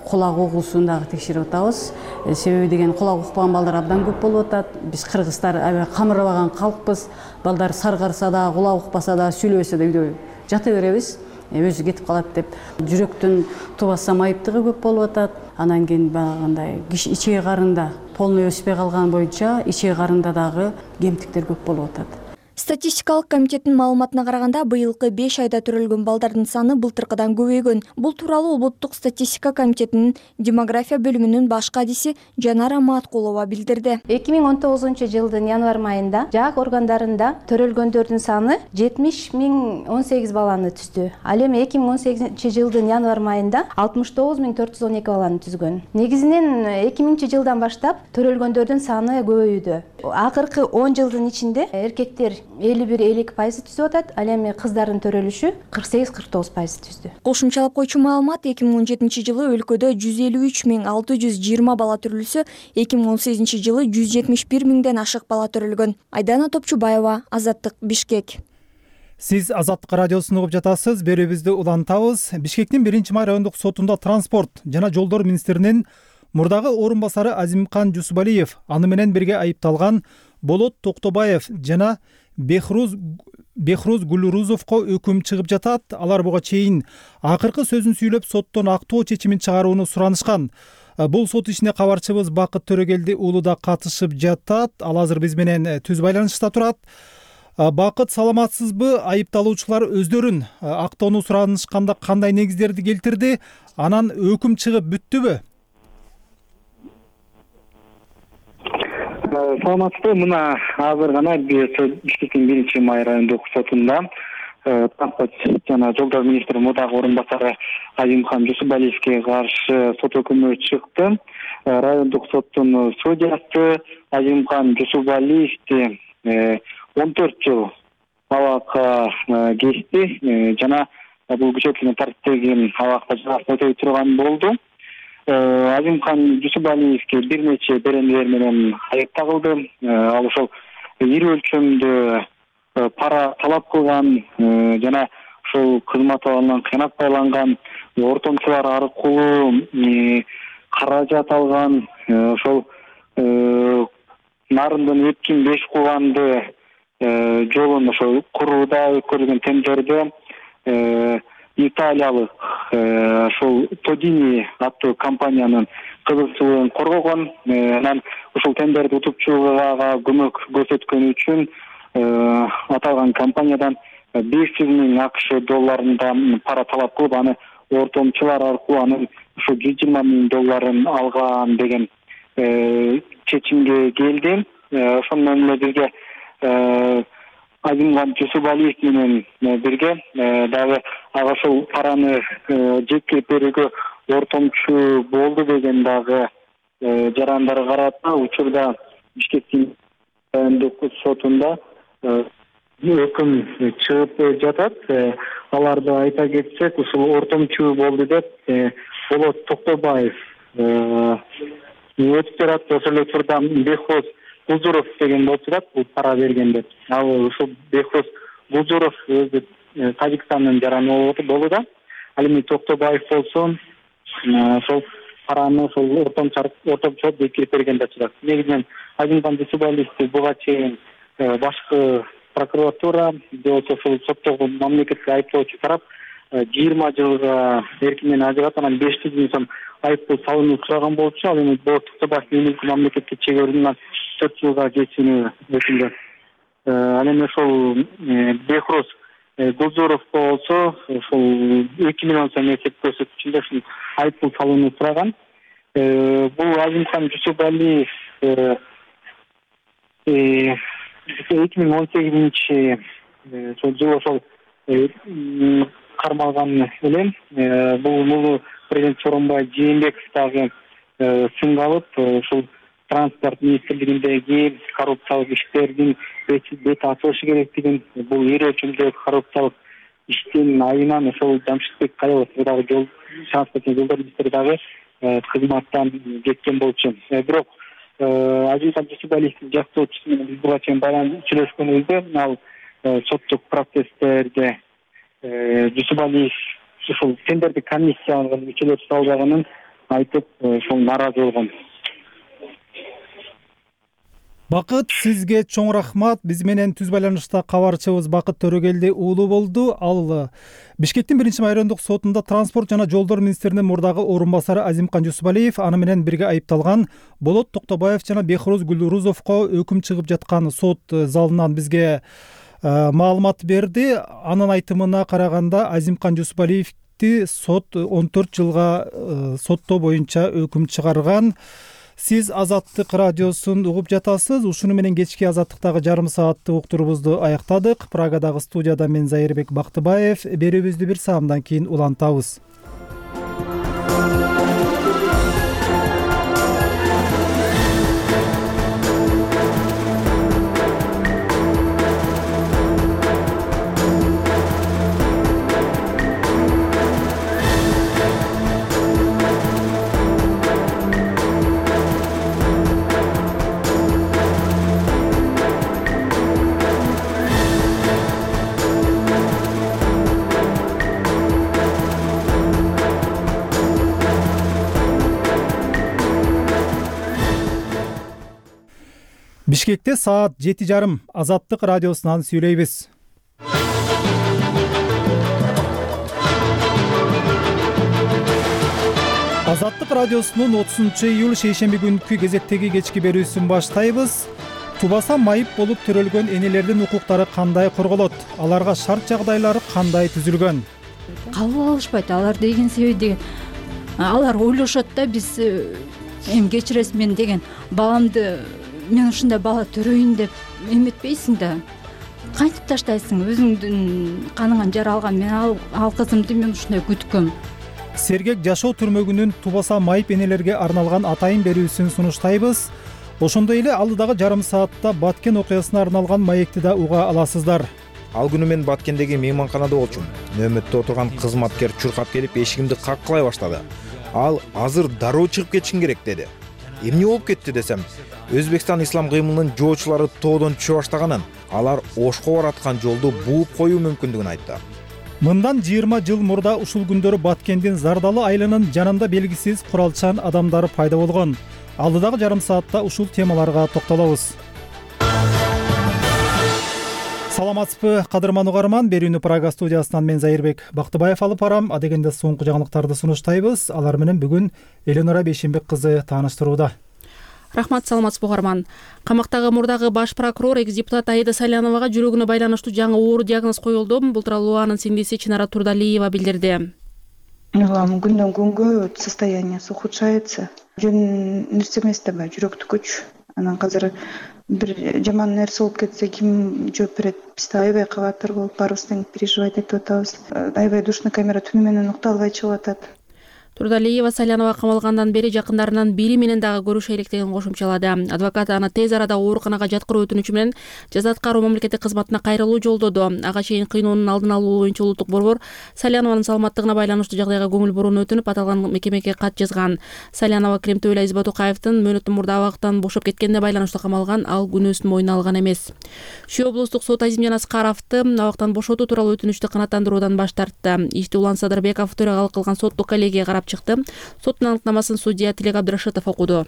кулак угуусун дагы текшерип атабыз. Себеби деген кулак укпаган балдар абдан көп болуп атат. Биз кыргыздар аябай камырбаган калкпыз. Балдар саргарса да, кулак укпаса да, сүйлөбөсө да үйдө жата беребиз. Өзү кетип калат деп жүрөктүн тубаса майыптыгы көп болуп атат. Анан кийин баягындай ичеги карында полный өспөй калган боюнча ичеги карында дагы кемтиктер көп болуп атат. Статистикалык комитеттин маалыматына караганда быйылкы беш айда төрөлгөн балдардын саны былтыркыдан көбөйгөн. Бул тууралуу улуттук статистика комитетинин демография бөлүмүнүн баш кадиси Жанара Маткулова билдирди. эки миң он тогузунчу жылдын январь майында жак органдарында төрөлгөндөрдүн саны жетимиш миң он сегиз баланы түздү. Ал эми эки миң он сегизинчи жылдын январь майында алтымыш тогуз миң төрт жүз он эки баланы түзгөн. Негизинен эки миңинчи жылдан баштап төрөлгөндөрдүн саны көбөйүүдө. Акыркы он жылдын ичинде эркектер элүү бир элүү эки пайыз түзүп атат, ал эми кыздардын төрөлүшү кырк сегиз кырк тогуз пайыз түздү. Кошумчалап койчу маалымат, эки миң он жетинчи жылы өлкөдө жүз элүү үч миң алты жүз жыйырма бала төрөлсө, эки миң он сегизинчи жылы жүз жетимиш бир миңден ашык бала төрөлгөн. Айдана Топчубаева, Азаттык, Бишкек. Сиз Азаттык радиосун угуп жатасыз. Берүүбүздү улантабыз. Бишкектин биринчи май райондук сотунда транспорт жана жолдор министринин мурдагы орун басары Азимкан Жусубалиев, аны менен бирге айыпталган Болот Токтобаев жана Бехруз Бехруз Гулурузовго өкүм чыгып жатат. Алар буга чейин акыркы сөзүн сүйлөп, соттон актоо чечимин чыгарууну суранышкан. Бул сот ишине кабарчыбыз Бакыт Төрөгелди уулу да катышып жатат. Ал азыр биз менен түз байланышта турат. Бакыт, саламатсызбы? Айыпталуучулар өздөрүн актоону суранышканда кандай негиздерди келтирди? Анан өкүм чыгып бүттүбү? Саламатсызбы? Мына азыр гана Бишкектин биринчи май райондук сотунда транспорт жана жолдор министри мурдагы орун басары Азимкан Жусубалиевге каршы сот өкүмү чыкты. Райондук соттун судьясы Азимкан Жусубалиевди он төрт жыл абакка кести жана бул күчөтүлгөн тартиптеги абакта жазасын өтөй турган болду. Азимкан Жусубалиевге бир нече беренелер менен айып тагылды. Ал ошол ири өлчөмдө пара талап кылган жана ошол кызмат абалынан кыянат байланган, ортомчулар аркылуу каражат алган, ошол нарындын өткөн беш кубанды жолун ошол курууда өткөрүлгөн тендерде италиялык ошол Тодини аттуу компаниянын кызыкчылыгын коргогон, анан ошол тендерди утупчуга көмөк көрсөткөнү үчүн аталган компаниядан беш жүз миң АКШ долларында пара талап кылып, аны ортомчулар аркылуу анын ошо жүз жыйырма миң долларын алган деген чечимге келди. Ошону менен бирге Азимкан Жусубалиев менен бирге дагы ага ошол параны жеткирип берүүгө ортомчу болду деген дагы жарандар карата учурда Бишкектин райондук сотунда өкүм чыгып жатат. Аларды айта кетсек, ушул ортомчу болду деп Болот Токтобаев өтүп турат. Ошол эле учурда Бехруз Гулжуров деген болуп турат, бул пара берген деп. Ал ушул Бехруз Гулжуров өзү Тажикстандын жараны болду да. Ал эми Токтобаев болсо ошол параны ошол ортомчу ортомчу жеткирип берген деп турат. Негизинен Азимкан Жусубалиевди буга чейин башкы прокуратура же болбосо ошол соттогу мамлекеттик айыптоочу тарап жыйырма жылга эркинен ажыратып, анан беш жүз миң сом айып пул салууну сураган болчу. Ал эми Болот Токтобаев мамлекетке чегөрүүнүн төрт жылга кечүүнү өтүндү. Ал эми ошол Бехруз Гулжуров болсо ошол эки миллион сом эсеп көрсөткүчүндө ушул айып пул салууну сураган. Бул Азимкан Жусубалиев эки миң он сегизинчи жылы ошол кармалган элем. Бул муну президент Сооронбай Жээнбеков дагы сынга алып, ушул транспорт министрлигиндеги коррупциялык иштердин бет ачылышы керектигин, бул ири өлчөмдөгү коррупциялык иштин айынан ошол Жамшитбек Калелов дагы жол транспорт жана жолдор министри дагы кызматтан кеткен болчу. Бирок Азимкан Жусубалиевдин жактоочусу менен биз буга чейин байланып сүйлөшкөнүбүздө, ал соттук процесстерде Жусубалиев ушул тендердик комиссиянын мүчөлөрү салбаганын айтып, ошол нааразы болгон. Бакыт, сизге чоң рахмат. Биз менен түз байланышта кабарчыбыз Бакыт Төрөгелди уулу болду. Ал Бишкектин биринчи май райондук сотунда транспорт жана жолдор министринин мурдагы орун басары Азимкан Жусубалиев, аны менен бирге айыпталган Болот Токтобаев жана Бехруз Гулурузовго өкүм чыгып жаткан сот залынан бизге маалымат берди. Анын айтымына караганда Азимкан Жусупалиевди сот он төрт жылга соттоо боюнча өкүм чыгарган. Сиз Азаттык радиосун угуп жатасыз. Ушуну менен кечки Азаттыктагы жарым сааттык уктуруубузду аяктадык. Прагадагы студияда мен Зайырбек Бактыбаев. Берүүбүздү бир саамдан кийин улантабыз. Бишкекте саат жети жарым. Азаттык радиосунан сүйлөйбүз. Азаттык радиосунун отузунчу июль шейшемби күнкү кезектеги кечки берүүсүн баштайбыз. Тубаса майып болуп төрөлгөн энелердин укуктары кандай корголот? Аларга шарт жагдайлары кандай түзүлгөн? Кабыл алышпайт. Алар деген себеби деген алар ойлошот да, биз эми кечиресиз мен деген баламды мен ушундай бала төрөйүн деп эметпейсиң да. Кантип таштайсың? Өзүңдүн каныңан жаралган мен ал, ал кызымды мен ушундай күткөм. Сергек жашоо түрмөгүнүн Тубаса майып энелерге арналган атайын берүүсүн сунуштайбыз. Ошондой эле алдыдагы жарым саатта Баткен окуясына арналган маекти да уга аласыздар. Ал күнү мен Баткендеги мейманканада болчумун. Нөөмөттө отурган кызматкер чуркап келип эшигимди каккылай баштады. Ал азыр дароо чыгып кетишиң керек деди. Эмне болуп кетти десем, Өзбекстан ислам кыймылынын жоочулары тоодон түшө баштаганын, алар Ошко бараткан жолду бууп коюу мүмкүндүгүн айтты. Мындан жыйырма жыл мурда ушул күндөрү Баткендин Зардалы айылынын жанында белгисиз куралчан адамдар пайда болгон. Алдыдагы жарым саатта ушул темаларга токтолобуз. Саламатсызбы, кадырман угарман. Берүүнү Прага студиясынан мен Зайырбек Бактыбаев алып барам. Адегенде соңку жаңылыктарды сунуштайбыз. Алар менен бүгүн Эленора Бейшенбек кызы тааныштырууда. Рахмат, саламатсызбы угарман. Камактагы мурдагы баш прокурор экс-депутат Аида Саляновага жүрөгүнө байланыштуу жаңы оор диагноз коюлду. Бул тууралуу анын сиңдиси Чынара Турдалиева билдирди. Күндөн күнгө состояниеси ухудшается. Жөн нерсе эмес да бар, жүрөктүкүч. Анан азыр бир жаман нерсе болуп кетсе ким жооп берет? Биз да аябай кабаттар болуп барыбыз тең переживать этип атабыз. Аябай душный камера түнү менен укталбай чыгып атат. Турдалиева Салянова камалгандан бери жакындарынан бири менен дагы көрүшө электерин кошумчалады. Адвокат аны тез арада ооруканага жаткыруу өтүнүчү менен жаза аткаруу мамлекеттик кызматына кайрылуу жолдоду. Ага чейин кыйноонун алдын алуу боюнча улуттук борбор Салянованын саламаттыгына байланыштуу жагдайга көңүл бурууну өтүнүп, аталган мекемеге кат жазган. Салянова Кремтөөлө Избатукаевдин мөөнөттөн мурда абактан бошоп кеткенине байланыштуу камалган, ал күнөөсүн мойнуна алган эмес. Шүй облустук сот Азимжан Аскаровду абактан бошотуу тууралуу өтүнүчтү канааттандыруудан баш тартты. Ишти Улан Садырбеков төрөгалык кылган соттук коллегия карап чыкты. Соттун аныктамасын судья Тилек Абдрашитов окуду.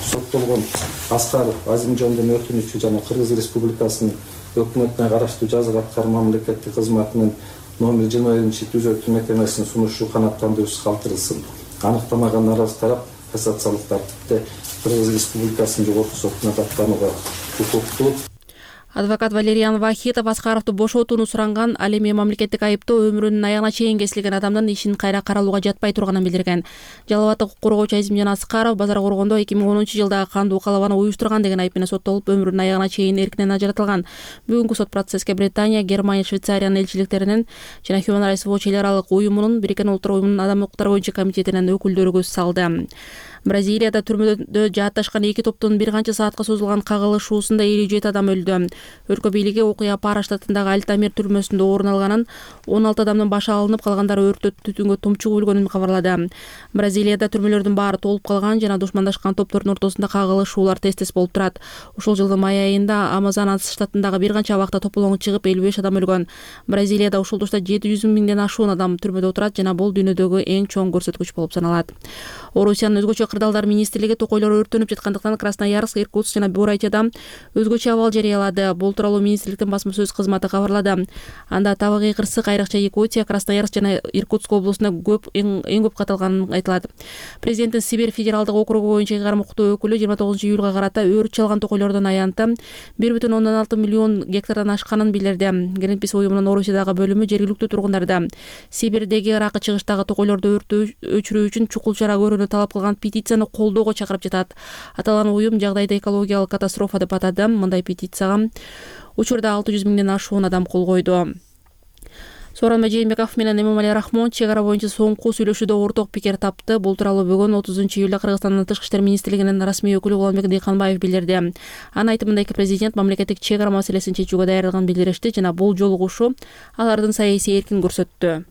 Соттолгон Аскаров Азимжандын өтүнүчү жана Кыргыз Республикасынын өкмөтүнө караштуу жаза аткаруу мамлекеттик кызматынын номер жыйырма биринчи түзөтүү мекемесинин сунушу канааттандыруусуз калтырылсын. Аныктамага наразы тарап кассациялык тартипте Кыргыз Республикасынын жогорку сотуна даттанууга укуктуу. Адвокат Валериан Вахитов Аскаровду бошотууну суранган, ал эми мамлекеттик айыптоо өмүрүнүн аягына чейин кесилген адамдын ишин кайра каралууга жатпай турганын билдирген. Жалал абад укук коргоочу Азимжан Аскаров базар коргондо эки миң онунчу жылдагы кандуу калабаны уюштурган деген айып менен соттолуп, өмүрүнүн аягына чейин эркинен ажыратылган. Бүгүнкү сот процесске Британия, Германия, Швейцариянын элчиликтеринин жана Human Rights Watch эл аралык уюмунун, Бириккен Улуттар уюмунун адам укуктары боюнча комитетинин өкүлдөрү көз салды. Бразилияда түрмөдө жаатташкан эки топтун бир канча саатка созулган кагылышуусунда элүү жети адам өлдү. Өлкө бийлиги окуя Пара штатындагы Альтамир түрмөсүндө орун алганын, он алты адамдын башы алынып, калгандары өрттө түтүнгө тумчугуп өлгөнүн кабарлады. Бразилияда түрмөлөрдүн баары толуп калган жана душмандашкан топтордун ортосунда кагылышуулар тез-тез болуп турат. Ушул жылдын май айында Амазонас штатындагы бир канча абакта тополоң чыгып, элүү беш адам өлгөн. Бразилияда ушул тушта жети жүз миңден ашуун адам түрмөдө отурат жана бул дүйнөдөгү эң чоң көрсөткүч болуп саналат. Орусиянын өзгөчө кырдаалдар министрлиги токойлор өрттөнүп жаткандыктан Красноярск, Иркутск жана Бурятияда өзгөчө абал жарыялады. Бул тууралуу министрликтин басма сөз кызматы кабарлады. Анда табигый кырсык айрыкча Якутия, Красноярск жана Иркутск облусунда көп эң көп катталганы айтылат. Президенттин Сибирь федералдык округу боюнча ыйгарым укуктуу өкүлү жыйырма тогузунчу июлга карата өрт чалган токойлордун аянты бир бүтүн ондон алты миллион гектардан ашканын билдирди. Greenpeace уюмунун Орусиядагы бөлүмү жергиликтүү тургундарды Сибирдеги Ракы чыгыштагы токойлорду өрттү өчүрүү үчүн чукул чара көрүүнү талап кылган петицияны колдоого чакырып жатат. Аталган уюм жагдайды экологиялык катастрофа деп атады. Мындай петицияга учурда алты жүз миңден ашуун адам кол койду. Сооронбай Жээнбеков менен Эмомали Рахмон чек ара боюнча соңку сүйлөшүүдө орток пикир тапты. Бул тууралуу бүгүн отузунчу июлда Кыргызстандын Тышкы иштер министрлигинин расмий өкүлү Уланбек Дыйканбаев билдирди. Анын айтымында эки президент мамлекеттик чек ара маселесин чечүүгө даярдыгын билдиришти жана бул жолугушуу алардын саясий эркин көрсөттү.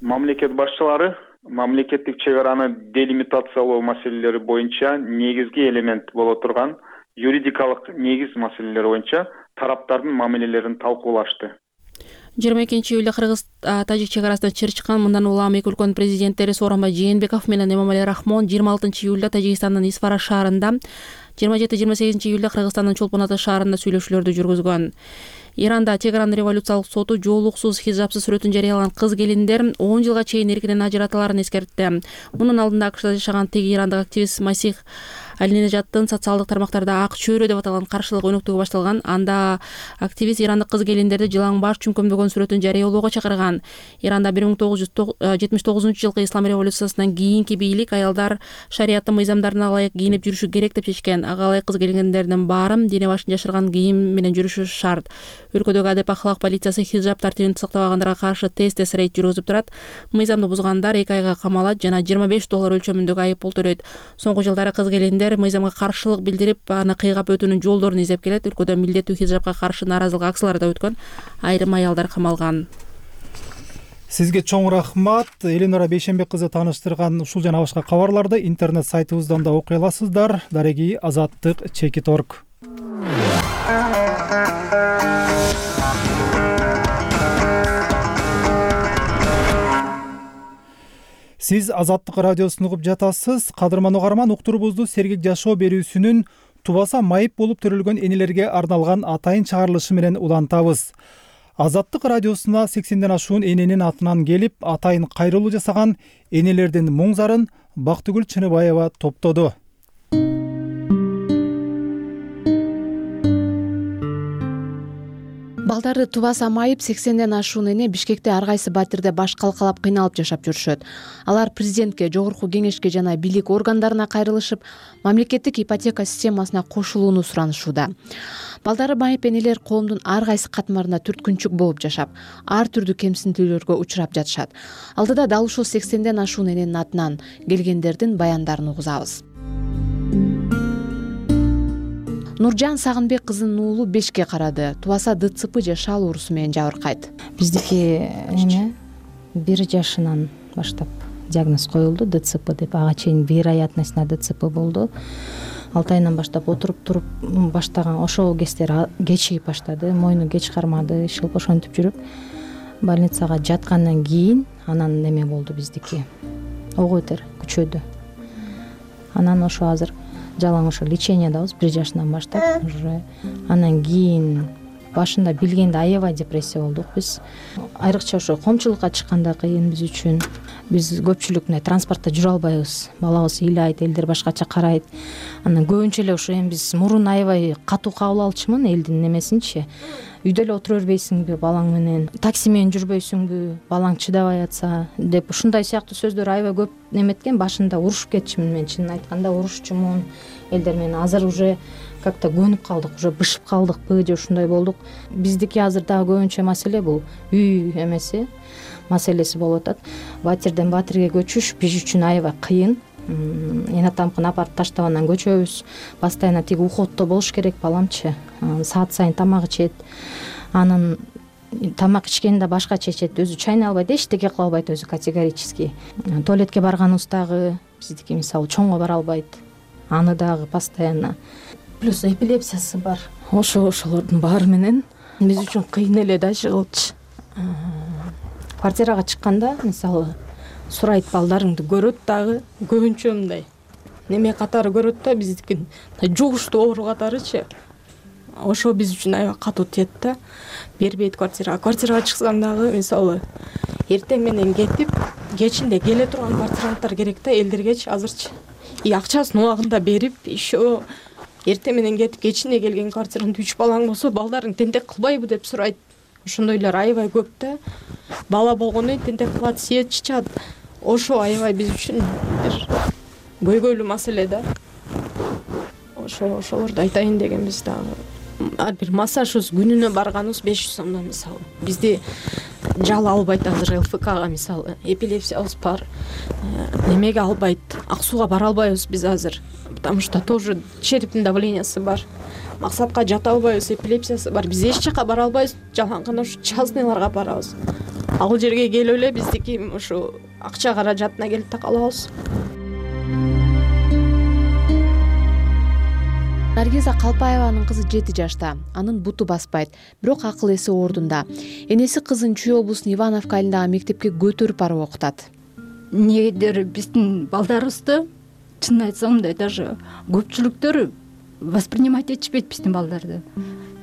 Мамлекет башчылары мамлекеттик чек араны делимитациялоо маселелери боюнча негизги элемент боло турган юридикалык негиз маселелери боюнча тараптардын мамилелерин талкуулашты. жыйырма экинчи июлда Кыргыз Тажик чек арасында чыр чыккан мындан улам эки өлкөнүн президенттери Сооронбай Жээнбеков менен Эмомали Рахмон жыйырма алтынчы июлда Тажикстандын Исфара шаарында, жыйырма жети жыйырма сегизинчи июлда Кыргызстандын Чолпон Ата шаарында сүйлөшүүлөрдү жүргүзгөн. Иранда чек аранын революциялык соту жоолуксуз, хижапсыз сүрөтүн жарыялаган кыз келиндер он жылга чейин эркинен ажыратыларын эскертти. Мунун алдында АКШда жашаган теги ирандык активист Масих Алинежаттын социалдык тармактарда ак чөйрө деп аталган каршылык өнөктүгү башталган. Анда активист ирандык кыз келиндерди жылаң баш чүңкөмдөгөн сүрөтүн жарыялоого чакырган. Иранда бир миң тогуз жүз жетимиш тогузунчу жылкы ислам революциясынан кийинки бийлик аялдар шариаттын мыйзамдарына ылайык кийинип жүрүшү керек деп чечкен. Ага ылайык кыз келиндердин баары дене башын жашырган кийим менен жүрүшү шарт. Өлкөдөгү адеп ахлак полициясы хижап тартибин сактабагандарга каршы тест-тест рейд жүргүзүп турат. Мыйзамды бузгандар эки айга камалат жана жыйырма беш доллар өлчөмүндөгү айып пул төлөйт. Соңку жылдары кыз келиндер мыйзамга каршылык билдирип, аны кыйгап өтүүнүн жолдорун издеп келет. Өлкөдө милдеттүү хижапка каршы нааразылык акциялары да өткөн. Айрым аялдар камалган. Сизге чоң рахмат. Эленора Бейшенбек кызы тааныштырган ушул жана башка кабарларды интернет сайтыбыздан да окуй аласыздар. Дареги азаттык чекит точка орг. Сиз Азаттык радиосун угуп жатасыз. Кадырман угарман, уктурубузду сергек жашоо берүүсүнүн тубаса майып болуп төрөлгөн энелерге арналган атайын чыгарылышы менен улантабыз. Азаттык радиосуна сексенден ашуун эненин атынан келип, атайын кайрылуу жасаган энелердин муң зарын Бактыгүл Чыныбаева топтоду. Балдары тубаса майып сексенден ашуун эне Бишкекте ар кайсы батирде баш калкалап кыйналып жашап жүрүшөт. Алар президентке, жогорку кеңешке жана бийлик органдарына кайрылышып, мамлекеттик ипотека системасына кошулууну суранышууда. Балдары майып энелер коомдун ар кайсы катмарында түрткүнчүк болуп жашап, ар түрдүү кемсинтүүлөргө учурап жатышат. Алдыда дал ушул сексенден ашуун эненин атынан келгендердин баяндарын угузабыз. Нуржан Сагынбек кызынын уулу бешке карады. Тубаса ДЦП же шал оорусу менен жабыркайт. Биздики эме бир жашынан баштап диагноз коюлду, ДЦП деп. Ага чейин вероятностьна ДЦП болду. алты айынан баштап отуруп туруп баштаган ошол кездер кечигип баштады. Мойну кеч кармады, шылп ошентип жүрүп больницага жаткандан кийин анан неме болду биздики. Ого бетер күчөдү. Анан ошо азыр жалаң ошо лечениядабыз бир жашынан баштап. Уже анан кийин башында билгенде аябай депрессия болдук биз. Айрыкча ошо коомчулукка чыкканда кыйын биз үчүн. Биз көпчүлүк мына транспортто жүрө албайбыз. Балабыз ыйлайт, элдер башкача карайт. Анан көбүнчө эле ошо эми биз мурун аябай катуу кабыл алчумун элдин немесинчи. Үйдө эле отура бербейсиңби балаң менен, такси менен жүрбөйсүңбү, балаң чыдабай атса деп ушундай сыяктуу сөздөр аябай көп неметкен. Башында урушуп кетчүмүн мен, чынын айтканда урушчумун элдер менен. Азыр уже как-то көнүп калдык, уже бышып калдыкпы же ушундай болдук. Биздики азыр дагы көбүнчө маселе бул үй эмеси маселеси болуп атат. Батирден батирге көчүш биз үчүн аябай кыйын. Эне атамкын апарып таштап анан көчөбүз. Постоянно тиги уходдо болуш керек баламчы. Саат сайын тамак ичет. Анын тамак ичкенде башкача ичет, өзү чайнай албайт, эчтеке кыла албайт өзү категорически. Туалетке барганыбыз дагы биздики мисалы чоңго бара албайт. Аны дагы постоянно. Плюс эпилепсиясы бар. Ошо ошолордун баары менен биз үчүн кыйын эле да жыгылчы. Квартирага чыкканда мисалы сурайт, балдарыңды көрөт дагы көбүнчө мындай неме катары көрөт да, биздикин жугуштуу оору катарычы. Ошо биз үчүн аябай катуу тиет да. Бербейт квартирага. Квартирага чыксаң дагы, мисалы, эртең менен кетип, кечинде келе турган квартиранттар керек да элдергечи азырчы. И акчасын убагында берип, еще эртең менен кетип, кечинде келген квартирант үч балаң болсо, балдарың тентек кылбайбы деп сурайт. Ошондойлор аябай көп да. Бала болгондон кийин тентек кылат, сиет чычат. Ошо аябай биз үчүн бир көйгөйлүү маселе да. Ошо ошолорду айтайын дегенбиз дагы. Ар бир массажыбыз күнүнө барганыбыз беш жүз сомдон мисалы. Бизди жал албайт азыр эл эф кга мисалы. Эпилепсиябыз бар. Немеге албайт. Ак сууга бара албайбыз биз азыр. Потому что тоже черептин давлениясы бар. Максатка жата албайбыз, эпилепсиясы бар. Биз эч жака бара албайбыз. Жалаң гана ушу частныйларга барабыз. Ал жерге келип эле биздики ушу акча каражатына келип такалабыз. Наргиза Калпаеванын кызы жети жашта. Анын буту баспайт, бирок акыл эси ордунда. Энеси кызын Чүй облусунун Ивановка айылындагы мектепке көтөрүп барып окутат. Эмнегедир биздин балдарыбызды чынын айтсам мындай даже көпчүлүктөр воспринимать этишпейт биздин балдарды.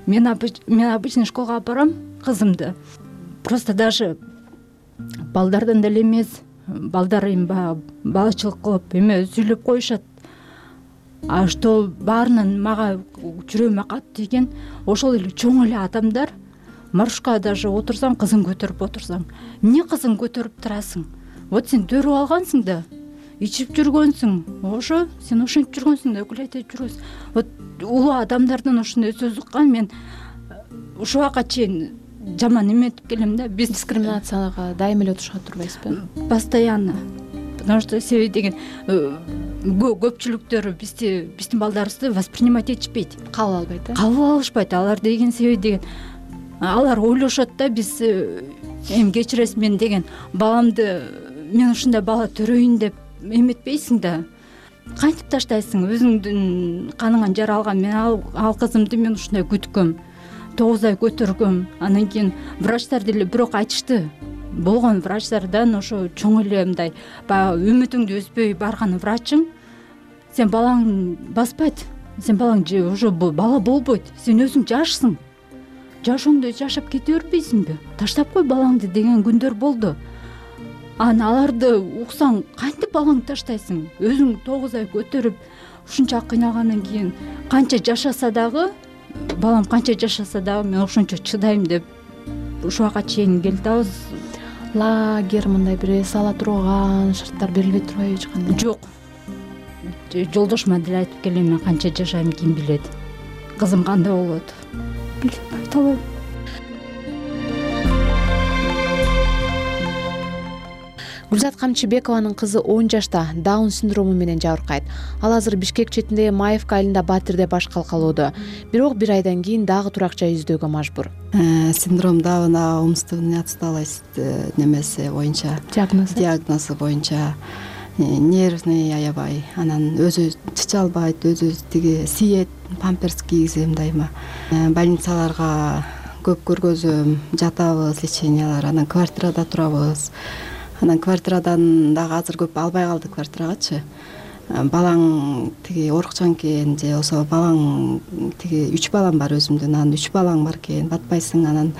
Мен мен обычный школга алып барам кызымды. Просто даже балдардан деле эмес, балдар эми баягы балачылык кылып эме сүйлөп коюшат. А что баарынан мага жүрөгүмө катты тийген, ошол эле чоң эле адамдар маршрутка даже отурсаң, кызың көтөрүп отурсаң, эмне кызың көтөрүп турасың? Вот сен төрүп алгансың да, ичип жүргөнсүң, ошо сен ошентип жүргөнсүң да, өкүл айтып жүрөсүң. Вот улуу адамдардан ошондой сөз уккан мен ушул убакка чейин жаман эметип келем да. Биз дискриминацияга дайыма эле отурушат турбайсызбы? Постоянно. Потому что себеби деген көпчүлүктөр бизди биздин балдарыбызды воспринимать этишпейт. Кабыл албайт э? Кабыл алышпайт. Алар деген себеби деген алар ойлошот да, биз эми кечиресиз мен деген баламды мен ушундай бала төрөйүн деп эметпейсиң да. Кантип таштайсың? Өзүңдүн каныңан жаралган мен ал, ал кызымды мен ушундай күткөм. тогуз ай көтөргөм. Анан кийин врачтар деле бирок айтышты. Болгон врачтардан ошо чоң эле мындай баягы үмүтүңдү үзбөй барган врачың сен балаң баспайт. Сен балаң уже бала болбойт. Сен өзүң жашсың. Жашооңду жашап кете бербейсиңби? Таштап кой балаңды деген күндөр болду. Анан аларды уксаң, кантип балаңды таштайсың? Өзүң тогуз ай көтөрүп ушунча кыйналгандан кийин канча жашаса дагы, балам канча жашаса дагы мен ошончо чыдайм деп ушул убакка чейин келип атабыз. Лагерь мындай бир эс ала турган шарттар берилбей турбайбы эч кандай? Жок. Жолдошума деле айтып келем, мен канча жашайм ким билет. Кызым кандай болот? Билбейм, айта албайм. Гүлзат Камчыбекованын кызы он жашта, Даун синдрому менен жабыркайт. Ал азыр Бишкек четиндеги Маевка айылында Батирде баш калкалоодо. Бирок бир айдан кийин дагы турак жай издөөгө мажбур. Синдром Дауна умственная отсталость немеси боюнча, диагнозу диагнозу боюнча нервный аябай, анан өзү чыча албайт, өзү тиги сиет, памперс кийгизем дайыма. Больницаларга көп көргөзөм, жатабыз, лечениялар, анан квартирада турабыз. Анан квартирадан дагы азыр көп албай калды квартирагачы. Балаң тиги оорукчан экен же болсо балаң тиги үч балам бар өзүмдүн, анан үч балаң бар экен, батпайсың, анан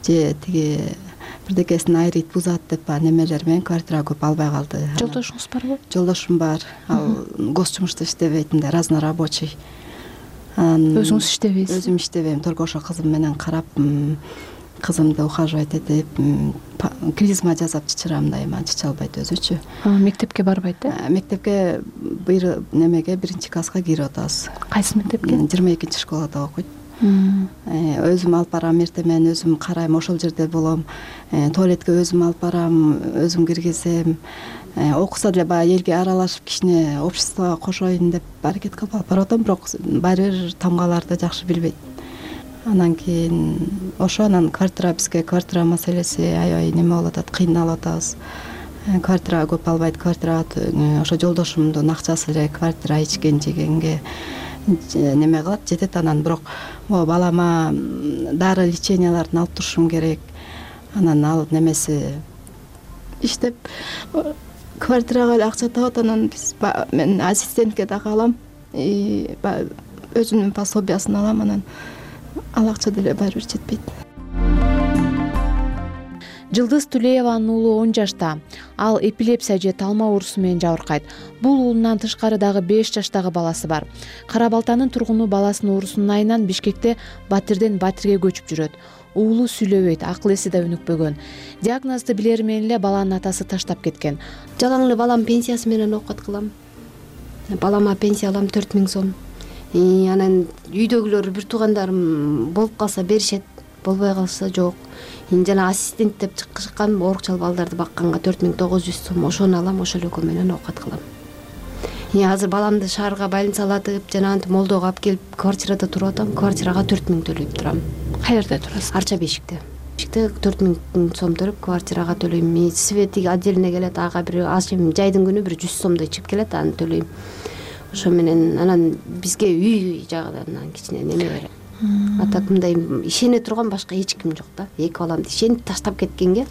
же тиги бирдекесин айрыйт, бузат деп немелер менен квартирага көп албай калды. Жолдошуңуз барбы? Жолдошум бар. Ал гос жумушта иштебейт, мындай разнорабочий. Өзүңүз иштебейсиз? Өзүм иштебейм, только ошо кызым менен карап, кызымды ухаживать этип, клизма жасап чычырам дайыма, чыча албайт өзүчү. Мектепке барбайт э? Мектепке бир немеге биринчи класска кирип атабыз. Кайсы мектепке? жыйырма экинчи школада окуйт. Өзүм алып барам, эртең менен өзүм карайм, ошол жерде болом. Туалетке өзүм алып барам, өзүм киргизем. Окуса деле баягы элге аралашып, кичине обществого кошоюн деп аракет кылып алып барып атам, бирок баары бир тамгаларды жакшы билбейт. Анан кийин ошо анан квартира, бизге квартира маселеси аябай неме болуп атат, кыйналып атабыз. Квартирага көп албайт, квартирага ошо жолдошумдун акчасы эле квартира ичкен жегенге неме кылат, жетет. Анан бирок могу балама дары леченияларын алып турушум керек. Анан ал немеси иштеп квартирага эле акча табат. Анан биз мен ассистентке дагы алам, өзүмдүн пособиясын алам, анан ал акча деле баары бир жетпейт. Жылдыз Тулееванын уулу он жашта. Ал эпилепсия же талма оорусу менен жабыркайт. Бул уулунан тышкары дагы беш жаштагы баласы бар. Кара Балтанын тургуну баласынын оорусунун айынан Бишкекте Батирден Батирге көчүп жүрөт. Уулу сүйлөбөйт, акыл эси да өнүкпөгөн. Диагнозду билери менен эле баланын атасы таштап кеткен. Жалаң эле балам пенсиясы менен окуп кылам. Балама пенсия алам төрт миң сом. Анан үйдөгүлөр бир туугандарым болуп калса беришет, болбой калса жок. Жана ассистент деп чыккан оорукчал балдарды бакканга төрт миң тогуз жүз сом ошону алам, ошол экөө менен оокат кылам. Азыр баламды шаарга больницалатып, жанагынтип молдого алып келип квартирада туруп атам. Квартирага төрт миң төлөйт турам. Каерде турасыз? Арча бешикте. төрт миң сом төлөп квартирага төлөйм. Свети отдельно келет, ага бир азым жайдын күнү бир жүз сомдой чыгып келет, аны төлөйм. Ошо менен анан бизге үй жагынан кичине неме берет. А так мындай ишене турган башка эч ким жок да. Эки баламды ишенип таштап кеткенге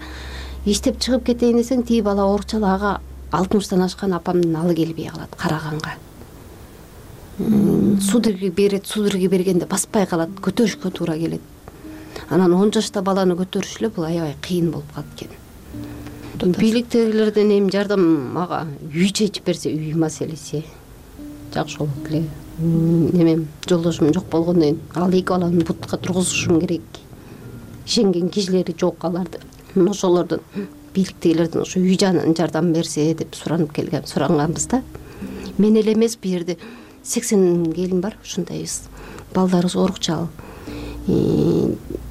иштеп чыгып кетейин десең, тиги бала оорукчал, ага алтымыштан ашкан апамдын алы келбей калат Караганга. Судорога берет, судорога бергенде баспай калат, көтөрүшкө туура келет. Анан он жашта баланы көтөрүш эле бул аябай кыйын болуп калат экен. Бийликтегилерден эми жардам ага үй чечип берсе, үй маселеси жакшы болот эле. Немем жолдошум жок болгондон кийин ал эки баланы бутка тургузушум керек. Ишенген кишилери жок аларды. Ошолордон бийликтегилерден ошо үй жардам берсе деп суранып келген, суранганбыз да. Мен эле эмес, бу жерде сексен келин бар, ушундайбыз. Балдарыбыз оорукчал.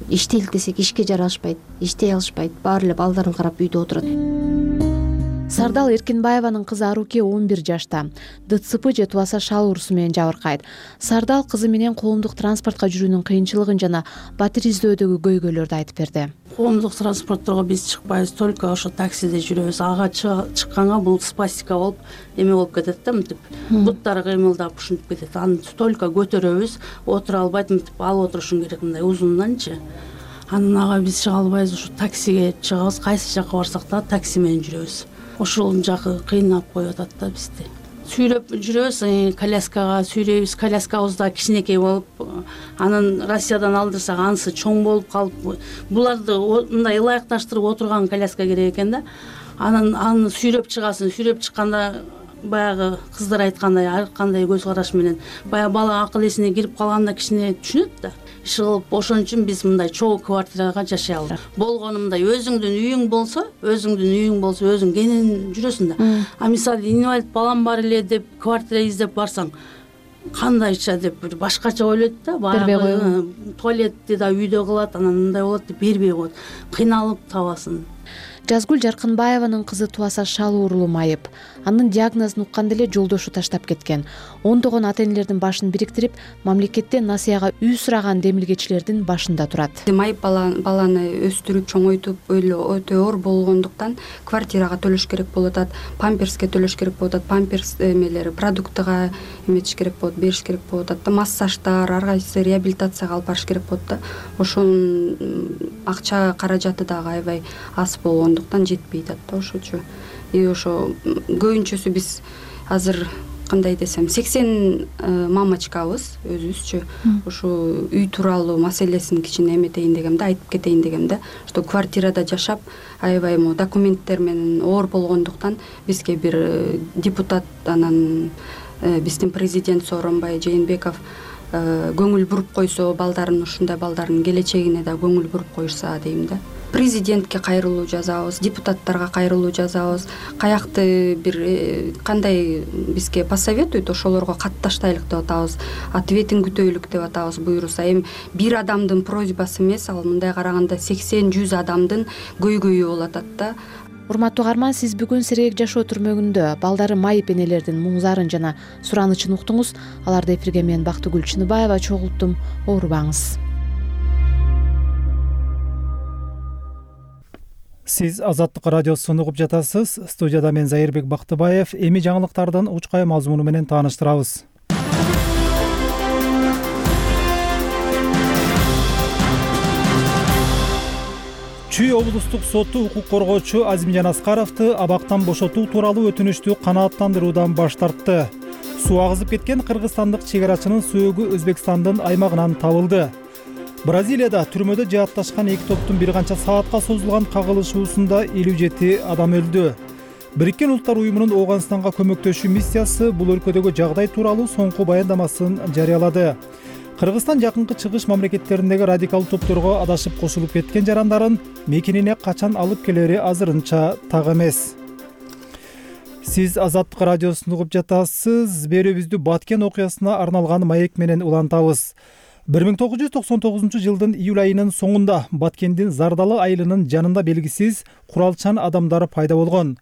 Иштейли десек ишке жарашпайт, иштей алышпайт, баары эле балдарын карап үйдө отурат. Сардал Эркинбаеванын кызы Аруке он бир жашта. ДЦП же тубаса шал оорусу менен жабыркайт. Сардал кызы менен коомдук транспортко жүрүүнүн кыйынчылыгын жана Батир издөөдөгү көйгөйлөрдү айтып берди. Коомдук транспортторго биз чыкпайбыз, только ошо таксиде жүрөбүз. Ага чыкканга бул спастика болуп эме болуп кетет да, мынтип буттары кыймылдап ушинтип кетет. Аны только көтөрөбүз, отура албайт, мынтип алып отурушуң керек, мындай узунданчы. Анан ага биз чыга албайбыз, ушу таксиге чыгабыз, кайсы жака барсак да такси менен жүрөбүз. Ошол жакы кыйнап коюп атат да бизди. Сүйрөп жүрөбүз, коляскага сүйрөйбүз, коляскабыз да кичинекей болуп, анан Россиядан алдырсак анысы чоң болуп калып, буларды мындай ылайыкташтырып отурган коляска керек экен да. Анан аны сүйрөп чыгасын, сүйрөп чыкканда баягы кыздар айткандай ар кандай көз караш менен баягы бала акыл эсине кирип калганда кичине түшүнөт да. Иши кылып, ошон үчүн биз мындай чогуу квартирага жашайлы. Болгону мындай өзүңдүн үйүң болсо, өзүңдүн үйүң болсо, өзүң кенен жүрөсүң да. А мисалы инвалид балам бар эле деп квартира издеп барсаң, кандайча деп бир башкача ойлойт да, баягы туалетти да үйдө кылат, анан мындай болот деп бербей коет. Кыйналып табасын. Жазгүл Жаркынбаеванын кызы тубаса шал оорулуу майып. Анын диагнозун укканда эле жолдошу таштап кеткен. Ондогон ата-энелердин башын бириктирип, мамлекеттен насыяга үй сураган демилгечилердин башында турат. Майып баланы өстүрүп, чоңойтуп, өтө оор болгондуктан квартирага төлөш керек болуп атат, памперске төлөш керек болуп атат, памперс эмелери, продуктыга эметиш керек болот, бериш керек болуп атат да, массаждар, ар кайсы реабилитацияга алып барыш керек болот да. Ошонун акча каражаты дагы аябай аз болгондуктан жетпей атат да ошочу. И ошо көбүнчөсү биз азыр кандай десем сексен мамочкабыз өзүбүзчү. Ошо үй тууралуу маселесин кичине эметейин дегем да, айтып кетейин дегем да. Что квартирада жашап аябай мо документтер менен оор болгондуктан бизге бир депутат, анан биздин президент Сооронбай Жээнбеков көңүл буруп койсо, балдарын ушундай балдардын келечегине да көңүл буруп коюшса дейм да. Президентке кайрылуу жазабыз, депутаттарга кайрылуу жазабыз. Каякты бир кандай бизге посоветуйт, ошолорго катташтайлык деп атабыз. Ответин күтөйлүк деп атабыз буйруса. Эми бир адамдын просьбасы эмес, ал мындай караганда сексен жүз адамдын көйгөйү болуп атат да. Урматтуу каарман, сиз бүгүн Сергек жашоо түрмөгүндө балдары майып энелердин муңзарын жана суранычын уктуңуз. Аларды эфирге мен Бактыгүл Чыныбаева чогулттум. Оорубаңыз. Сиз Азаттык радиосун угуп жатасыз. Студияда мен Зайырбек Бактыбаев. Эми жаңылыктардын учкай мазмуну менен тааныштырабыз. Чүй облустук соту укук коргоочу Азимжан Аскаровду абактан бошотуу тууралуу өтүнүштү канааттандыруудан баш тартты. Суу агызып кеткен кыргызстандык чек арачынын сөөгү Өзбекстандын аймагынан табылды. Бразилияда түрмөдө жаатташкан эки топтун бир канча саатка созулган кагылышуусунда элүү жети адам өлдү. Бириккен Улуттар уюмунун Ооганстанга көмөктөшүү миссиясы бул өлкөдөгү жагдай тууралуу соңку баяндамасын жарыялады. Кыргызстан жакынкы чыгыш мамлекеттериндеги радикалдуу топторго адашып кошулуп кеткен жарандарын мекенине качан алып келери азырынча так эмес. Сиз Азаттык радиосун угуп жатасыз. Берүүбүздү Баткен окуясына арналган маек менен улантабыз. бир миң тогуз жүз токсон тогузунчу жылдын июль айынын соңунда Баткендин Зардалы айылынын жанында белгисиз куралчан адамдар пайда болгон.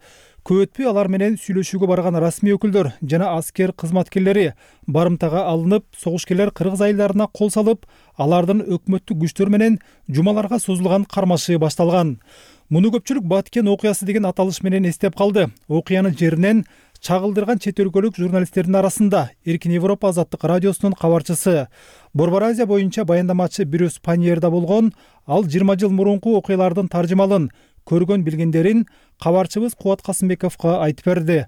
Көп өтпөй алар менен сүйлөшүүгө барган расмий өкүлдөр жана аскер кызматкерлери барымтага алынып, согушкерлер кыргыз айылдарына кол салып, алардын өкмөттүк күчтөр менен жумаларга созулган кармашы башталган. Муну көпчүлүк Баткен окуясы деген аталыш менен эстеп калды. Окуянын жеринен чагылдырган чет өлкөлүк журналисттердин арасында Эркин Европа Азаттык радиосунун кабарчысы, Борбор Азия боюнча баяндамачы Брюс Паньер да болгон. Ал жыйырма жыл мурунку окуялардын таржымалын, көргөн билгендерин кабарчыбыз Кубат Касымбековго айтып берди.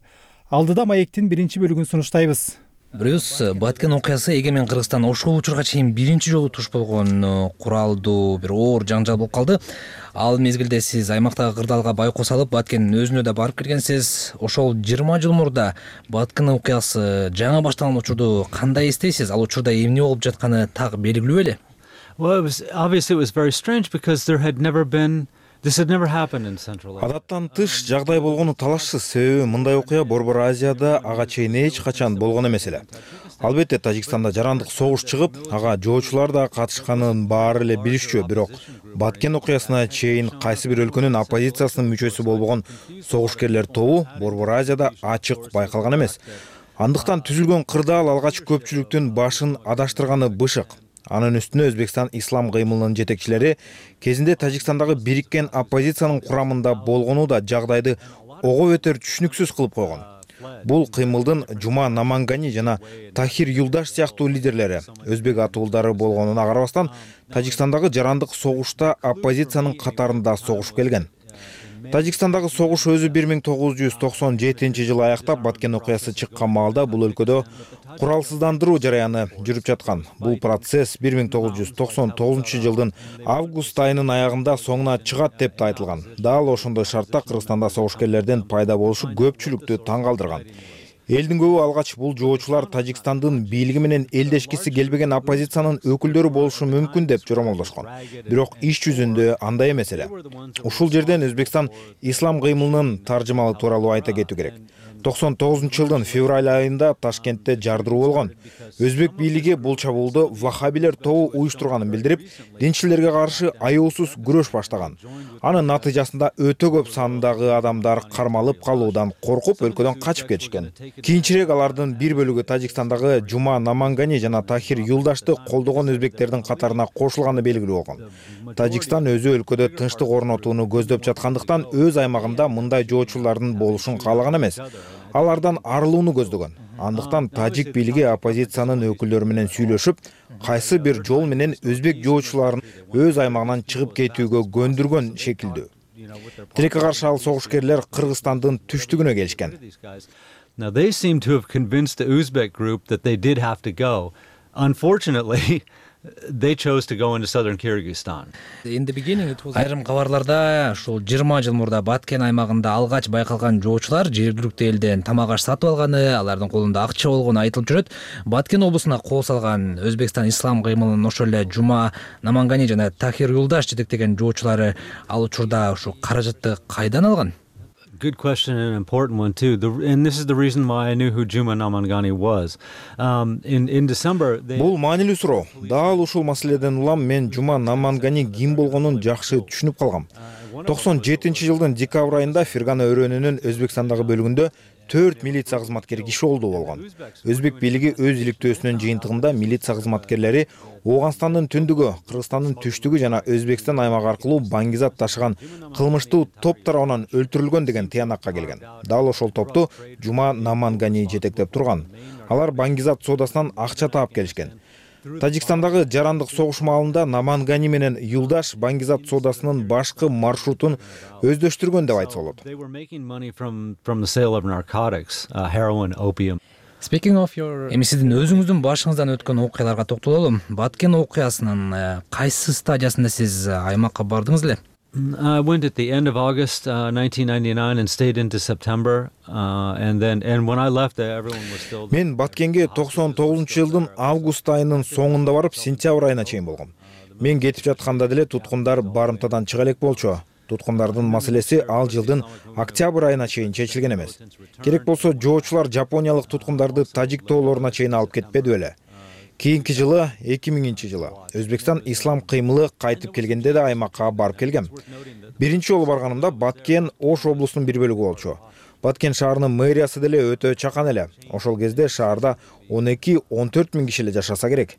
Алдыда маектин биринчи бөлүгүн сунуштайбыз. Брюс, Баткен окуясы эгемен Кыргызстан ошол учурга чейин биринчи жолу туш болгон куралдуу бир оор жаңжал болуп калды. Ал мезгилде сиз аймактагы кырдаалга байкоо салып, Баткендин өзүнө да барып келгенсиз. Ошол жыйырма жыл мурда Баткен окуясы жаңы башталган учурду кандай эстейсиз? Ал учурда эмне болуп жатканы так белгилүү беле? Well, it was obviously it was very strange because there had never been This had never happened in Central Asia. Адаттан тыш жагдай болгону талашсыз, себеби мындай окуя Борбор Азияда ага чейин эч качан болгон эмес эле. Албетте Тажикстанда жарандык согуш чыгып, ага жоочулар да катышканын баары эле билишчү, бирок Баткен окуясына чейин кайсы бир өлкөнүн оппозициясынын мүчөсү болбогон согушкерлер тобу Борбор Азияда ачык байкалган эмес. Андыктан түзүлгөн кырдаал алгач көпчүлүктүн башын адаштырганы бышык. Анын үстүнө Өзбекстан ислам кыймылынын жетекчилери кезинде Тажикстандагы бириккен оппозициянын курамында болгону да жагдайды ого бетер түшүнүксүз кылып койгон. Бул кыймылдын Жума Намангани жана Тахир Юлдаш сыяктуу лидерлери өзбек атуулдары болгонуна карабастан Тажикстандагы жарандык согушта оппозициянын катарында согушуп келген. Тажикстандагы согуш өзү бир миң тогуз жүз токсон жетинчи жылы аяктап, Баткен окуясы чыккан маалда бул өлкөдө куралсыздандыруу жараяны жүрүп жаткан. Бул процесс бир миң тогуз жүз токсон тогузунчу жылдын август айынын аягында соңуна чыгат деп да айтылган. Дал ошондой шартта Кыргызстанда согушкерлердин пайда болушу көпчүлүктү таң калтырган. Элдин көбү алгач бул жоочулар Тажикстандын бийлиги менен элдешкиси келбеген оппозициянын өкүлдөрү болушу мүмкүн деп жоромолдошкон. Бирок иш жүзүндө андай эмес эле. Ушул жерден Өзбекстан ислам кыймылынын таржымалы тууралуу айта кетүү керек. токсон тогузунчу жылдын февраль айында Ташкентте жардыруу болгон. Өзбек бийлиги бул чабуулду ваххабилер тобу уюштурганын билдирип, динчилерге каршы аяусуз күрөш баштаган. Анын натыйжасында өтө көп сандагы адамдар кармалып калуудан коркуп өлкөдөн качып кетишкен. Кийинчерээк алардын бир бөлүгү Тажикстандагы Жума Намангани жана Тахир Юлдашты колдогон өзбектердин катарына кошулганы белгилүү болгон. Тажикстан өзү өлкөдө тынчтык орнотууну көздөп жаткандыктан өз аймагында мындай жоочулардын болушун каалаган эмес. Алардан арылууну көздөгөн. Андыктан тажик бийлиги оппозициянын өкүлдөрү менен сүйлөшүп, кайсы бир жол менен өзбек жоочуларын өз аймагынан чыгып кетүүгө көндүргөн шекилдүү. Тилекке каршы ал согушкерлер Кыргызстандын түштүгүнө келишкен. Now they seem to have convinced the Uzbek group that they did have to go. Unfortunately, they chose to go into southern Kyrgyzstan. In the beginning it was Айрым кабарларда ушул жыйырма жыл мурда Баткен аймагында алгач байкалган жоочулар жергиликтүү элден тамак аш сатып алганы, алардын колунда акча болгону айтылып жүрөт. Баткен облусуна кол салган Өзбекстан ислам кыймылынын ошол эле Жума Намангани жана Тахир Юлдаш жетектеген жоочулары ал учурда ушу каражатты кайдан алган? Good question and an important one too. The, and this is the reason why I knew who Juma Namangani was. Um, in in December, they... Бул маанилүү суроо. Дал ушул маселеден улам мен Жума Намангани ким болгонун жакшы түшүнүп калгам. токсон жетинчи жылдын декабрь айында Фергана өрөөнүнүн Өзбекстандагы бөлүгүндө төрт милиция кызматкери киши олду болгон. Өзбек бийлиги өз иликтөөсүнүн жыйынтыгында милиция кызматкерлери Ооганстандын түндүгү, Кыргызстандын түштүгү жана Өзбекстан аймагы аркылуу баңгизат ташыган кылмыштуу топ тарабынан өлтүрүлгөн деген тыянакка келген. Дал ошол топту Жума Намангани жетектеп турган. Алар баңгизат соодасынан акча таап келишкен. Тажикстандагы жарандык согуш маалында Намангани менен Юлдаш Баңгизат соодасынын башкы маршрутун өздөштүргөн деп айтса болот. Эми сиздин өзүңүздүн башыңыздан өткөн окуяларга токтололу. Баткен окуясынын кайсы стадиясында сиз аймакка бардыңыз эле? I went at the end of August uh, nineteen ninety-nine and stayed into September uh, and then and when I left everyone was still. Мен Баткенге токсон тогузунчу жылдын август айынын соңунда барып, сентябрь айына чейин болгом. Мен кетип жатканда деле туткундар барымтадан чыга элек болчу. Туткундардын маселеси ал жылдын октябрь айына чейин чечилген эмес. Керек болсо жоочулар жапониялык туткундарды Тажик тоолоруна чейин алып кетпеди беле. Кийинки жылы эки миңинчи жылы Өзбекстан ислам кыймылы кайтып келгенде да аймакка барып келгем. Биринчи жолу барганымда Баткен Ош облусунун бир бөлүгү болчу. Баткен шаарынын мэриясы деле өтө чакан эле. Ошол кезде шаарда он эки он төрт миң киши эле жашаса керек.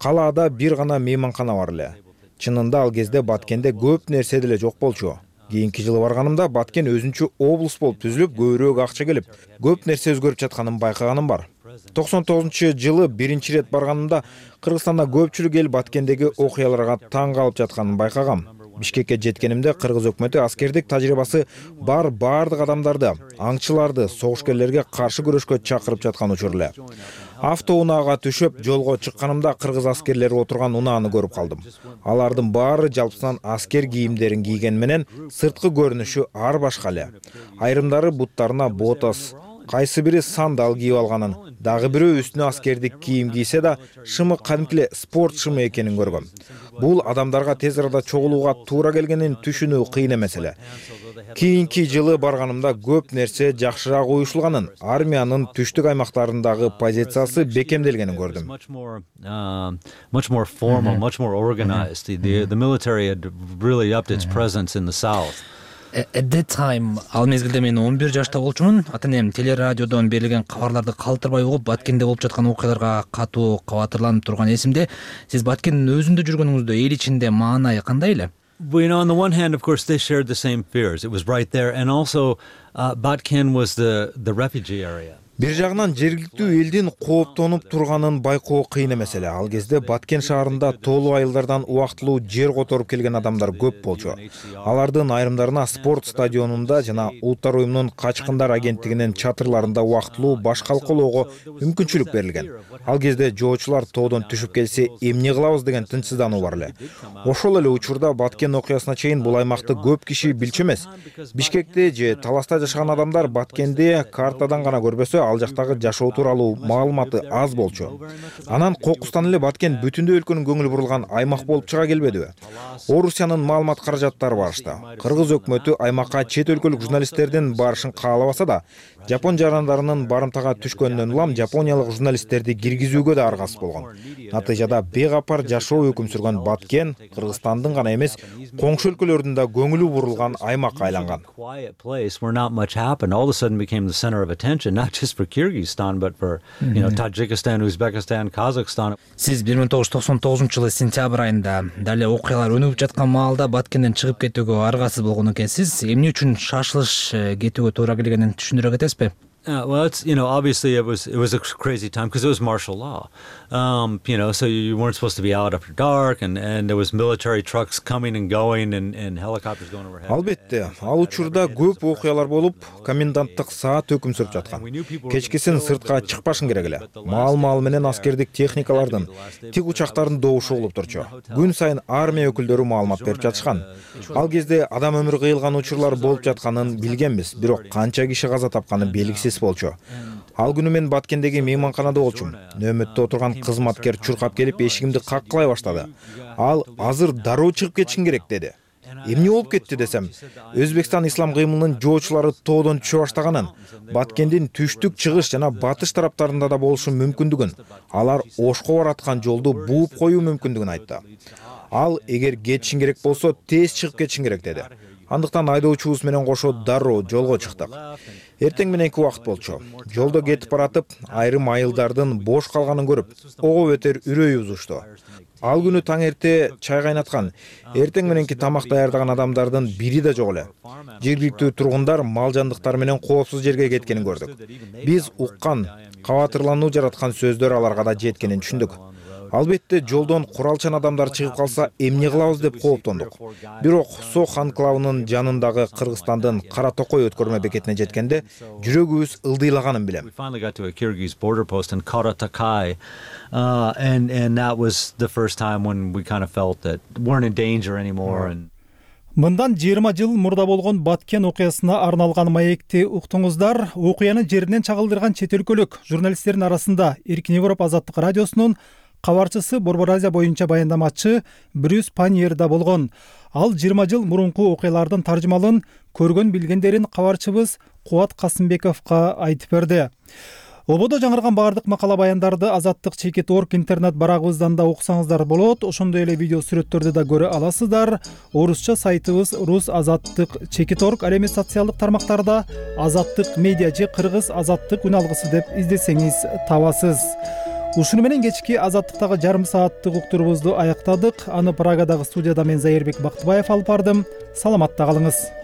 Калаада бир гана мейманкана бар эле. Чынында ал кезде Баткенде көп нерсе деле жок болчу. Кийинки жылы барганымда Баткен өзүнчө облус болуп түзүлүп, көбүрөөк акча келип, көп нерсе өзгөрүп жатканын байкаганым бар. токсон тогузунчу жылы биринчи ирет барганымда Кыргызстанда көпчүлүк эл Баткендеги окуяларга таң калып жатканын байкагам. Бишкекке жеткенимде Кыргыз өкмөтү аскердик тажрыйбасы бар бардык адамдарды, аңчыларды согушкерлерге каршы күрөшкө чакырып жаткан учур эле. Автоунаага түшүп жолго чыкканымда кыргыз аскерлери отурган унааны көрүп калдым. Алардын баары жалпысынан аскер кийимдерин кийген менен сырткы көрүнүшү ар башка эле. Айрымдары буттарына ботас, кайсы бири сандал кийип алганын, дагы бирөө үстүнө аскердик кийим кийсе да шымы кадимкиле спорт шымы экенин көргөм. Бул адамдарга тез арада чогулууга туура келгенин түшүнүү кыйын эмес эле. Кийинки жылы барганымда көп нерсе жакшыраак уюшулганын, армиянын түштүк аймактарындагы позициясы бекемделгенин көрдүм. Much more formal, much more organized. The the military had really upped its presence in the south. At that time, ал мезгилде мен он бир жашта болчумун. Ата-энем телерадиодон берилген кабарларды калтырбай угуп, Баткенде болуп жаткан окуяларга катуу кабатырланып турган эсимде. Сиз Баткендин өзүндө жүргөнүңүздө эл ичинде маанай кандай эле? Well, you know, on the one hand, of course, they shared the same fears. It was right there, and also, uh, Batken was the the refugee area. Бир жагынан жергиликтүү элдин кооптонуп турганын байкоо кыйын эмес эле. Ал кезде Баткен шаарында тоолуу айылдардан убактылуу жер которуп келген адамдар көп болчу. Алардын айрымдарына спорт стадионунда жана Улуттар уюмунун качкындар агенттигинин чатырларында убактылуу баш калкалоого мүмкүнчүлүк берилген. Ал кезде жоочулар тоодон түшүп келсе эмне кылабыз деген тынчсыздануу бар эле. Ошол эле учурда Баткен окуясына чейин бул аймакты көп киши билчү эмес. Бишкекте же Таласта жашаган адамдар Баткенди картадан гана көрбөсө, ал жактагы жашоо тууралуу маалыматы аз болчу. Анан кокустан эле Баткен бүтүндөй өлкөнүн көңүлү бурулган аймак болуп чыга келбедиби? Орусиянын маалымат каражаттары барышты. Кыргыз өкмөтү аймакка чет өлкөлүк журналисттердин барышын каалабаса да, Жапон жарандарынын барымтага түшкөнүнөн улам жапониялык журналисттерди киргизүүгө да аргасыз болгон. Натыйжада бейкапар жашоо өкүм сүргөн Баткен Кыргызстандын гана эмес, коңшу өлкөлөрдүн да көңүлү бурулган аймакка айланган. For Kyrgyzstan, but for you know Tajikistan, Uzbekistan, Kazakhstan. Сиз бир миң тогуз жүз токсон тогузунчу жылы сентябрь айында дале окуялар өнүгүп жаткан маалда Баткенден чыгып кетүүгө аргасыз болгон экенсиз. Эмне үчүн шашылыш кетүүгө туура келгенин түшүндүрө кетесизби? Uh, well, it's, you know, obviously it was it was a crazy time because it was martial law. Um, you know, so you weren't supposed to be out after dark, and and there was military trucks coming and going, and and helicopters going overhead. Албетте, ал учурда көп окуялар болуп, коменданттык саат өкүм сүрүп жаткан. Кечкисин сыртка чыкпашың керек эле. Маал-маал менен аскердик техникалардын, тик учактардын добушу болуп турчу. Күн сайын армия өкүлдөрү маалымат берип жатышкан. Ал кезде адам өмүрү кыйылган учурлар болуп жатканын билгенбиз, бирок канча киши каза тапканы белгисиз болчу. Ал күнү мен Баткендеги мейманканада болчумун. Нөөмөттө отурган кызматкер чуркап келип эшигимди каккылай баштады. Ал азыр дароо чыгып кетишиң керек деди. Эмне болуп кетти десем, Өзбекстан ислам кыймылынын жоочулары тоодон түшө баштаганын, Баткендин түштүк, чыгыш жана батыш тараптарында да болушу мүмкүндүгүн, алар Ошко бараткан жолду бууп коюу мүмкүндүгүн айтты. Ал эгер кетишиң керек болсо, тез чыгып кетишиң керек деди. Андыктан айдоочубуз менен кошо дароо жолго чыктык. Эртең мененки убакыт болчу. Жолдо кетип баратып, айрым айылдардын бош калганын көрүп, ого бетер үрөй бузушту. Ал күнү таң эрте чай кайнаткан, эртең мененки тамак даярдаган адамдардын бири да жок эле. Жергиликтүү тургундар мал жандыктар менен коопсуз жерге кеткенин көрдүк. Биз уккан, кабатырлануу жараткан сөздөр аларга да жеткенин түшүндүк. Албетте жолдон куралчан адамдар чыгып калса эмне кылабыз деп кооптондук. Бирок Сох анклавынын жанындагы Кыргызстандын Кара Токой өткөрмө бекетине жеткенде жүрөгүбүз ылдыйлаганын билем. Uh, and and that was the first time when we kind of felt that weren't in danger anymore. And Мындан жыйырма жыл мурда болгон Баткен окуясына арналган маекти уктуңуздар. Окуяны жеринен чагылдырган чет өлкөлүк журналисттердин арасында Эркин Европа азаттык радиосунун кабарчысы, Борбор Азия боюнча баяндамачы Брюс Паньер да болгон. Ал жыйырма жыл мурунку окуялардын таржымалын көргөн билгендерин кабарчыбыз Кубат Касымбековго айтып берди. Ободо жаңырган баардык макала баяндарды азаттык чекит точка орг интернет барагыбыздан да окусаңыздар болот. Ошондой эле видео сүрөттөрдү да көрө аласыздар. Орусча сайтыбыз рус азаттык чекит точка орг, ал эми социалдык тармактарда азаттык медиа же кыргыз азаттык үн алгысы деп издесеңиз табасыз. Ушуну менен кечки азаттыктагы жарым сааттык уктурубузду аяктадык. Аны Прагадагы студияда мен Зайырбек Бактыбаев алып бардым. Саламатта калыңыз.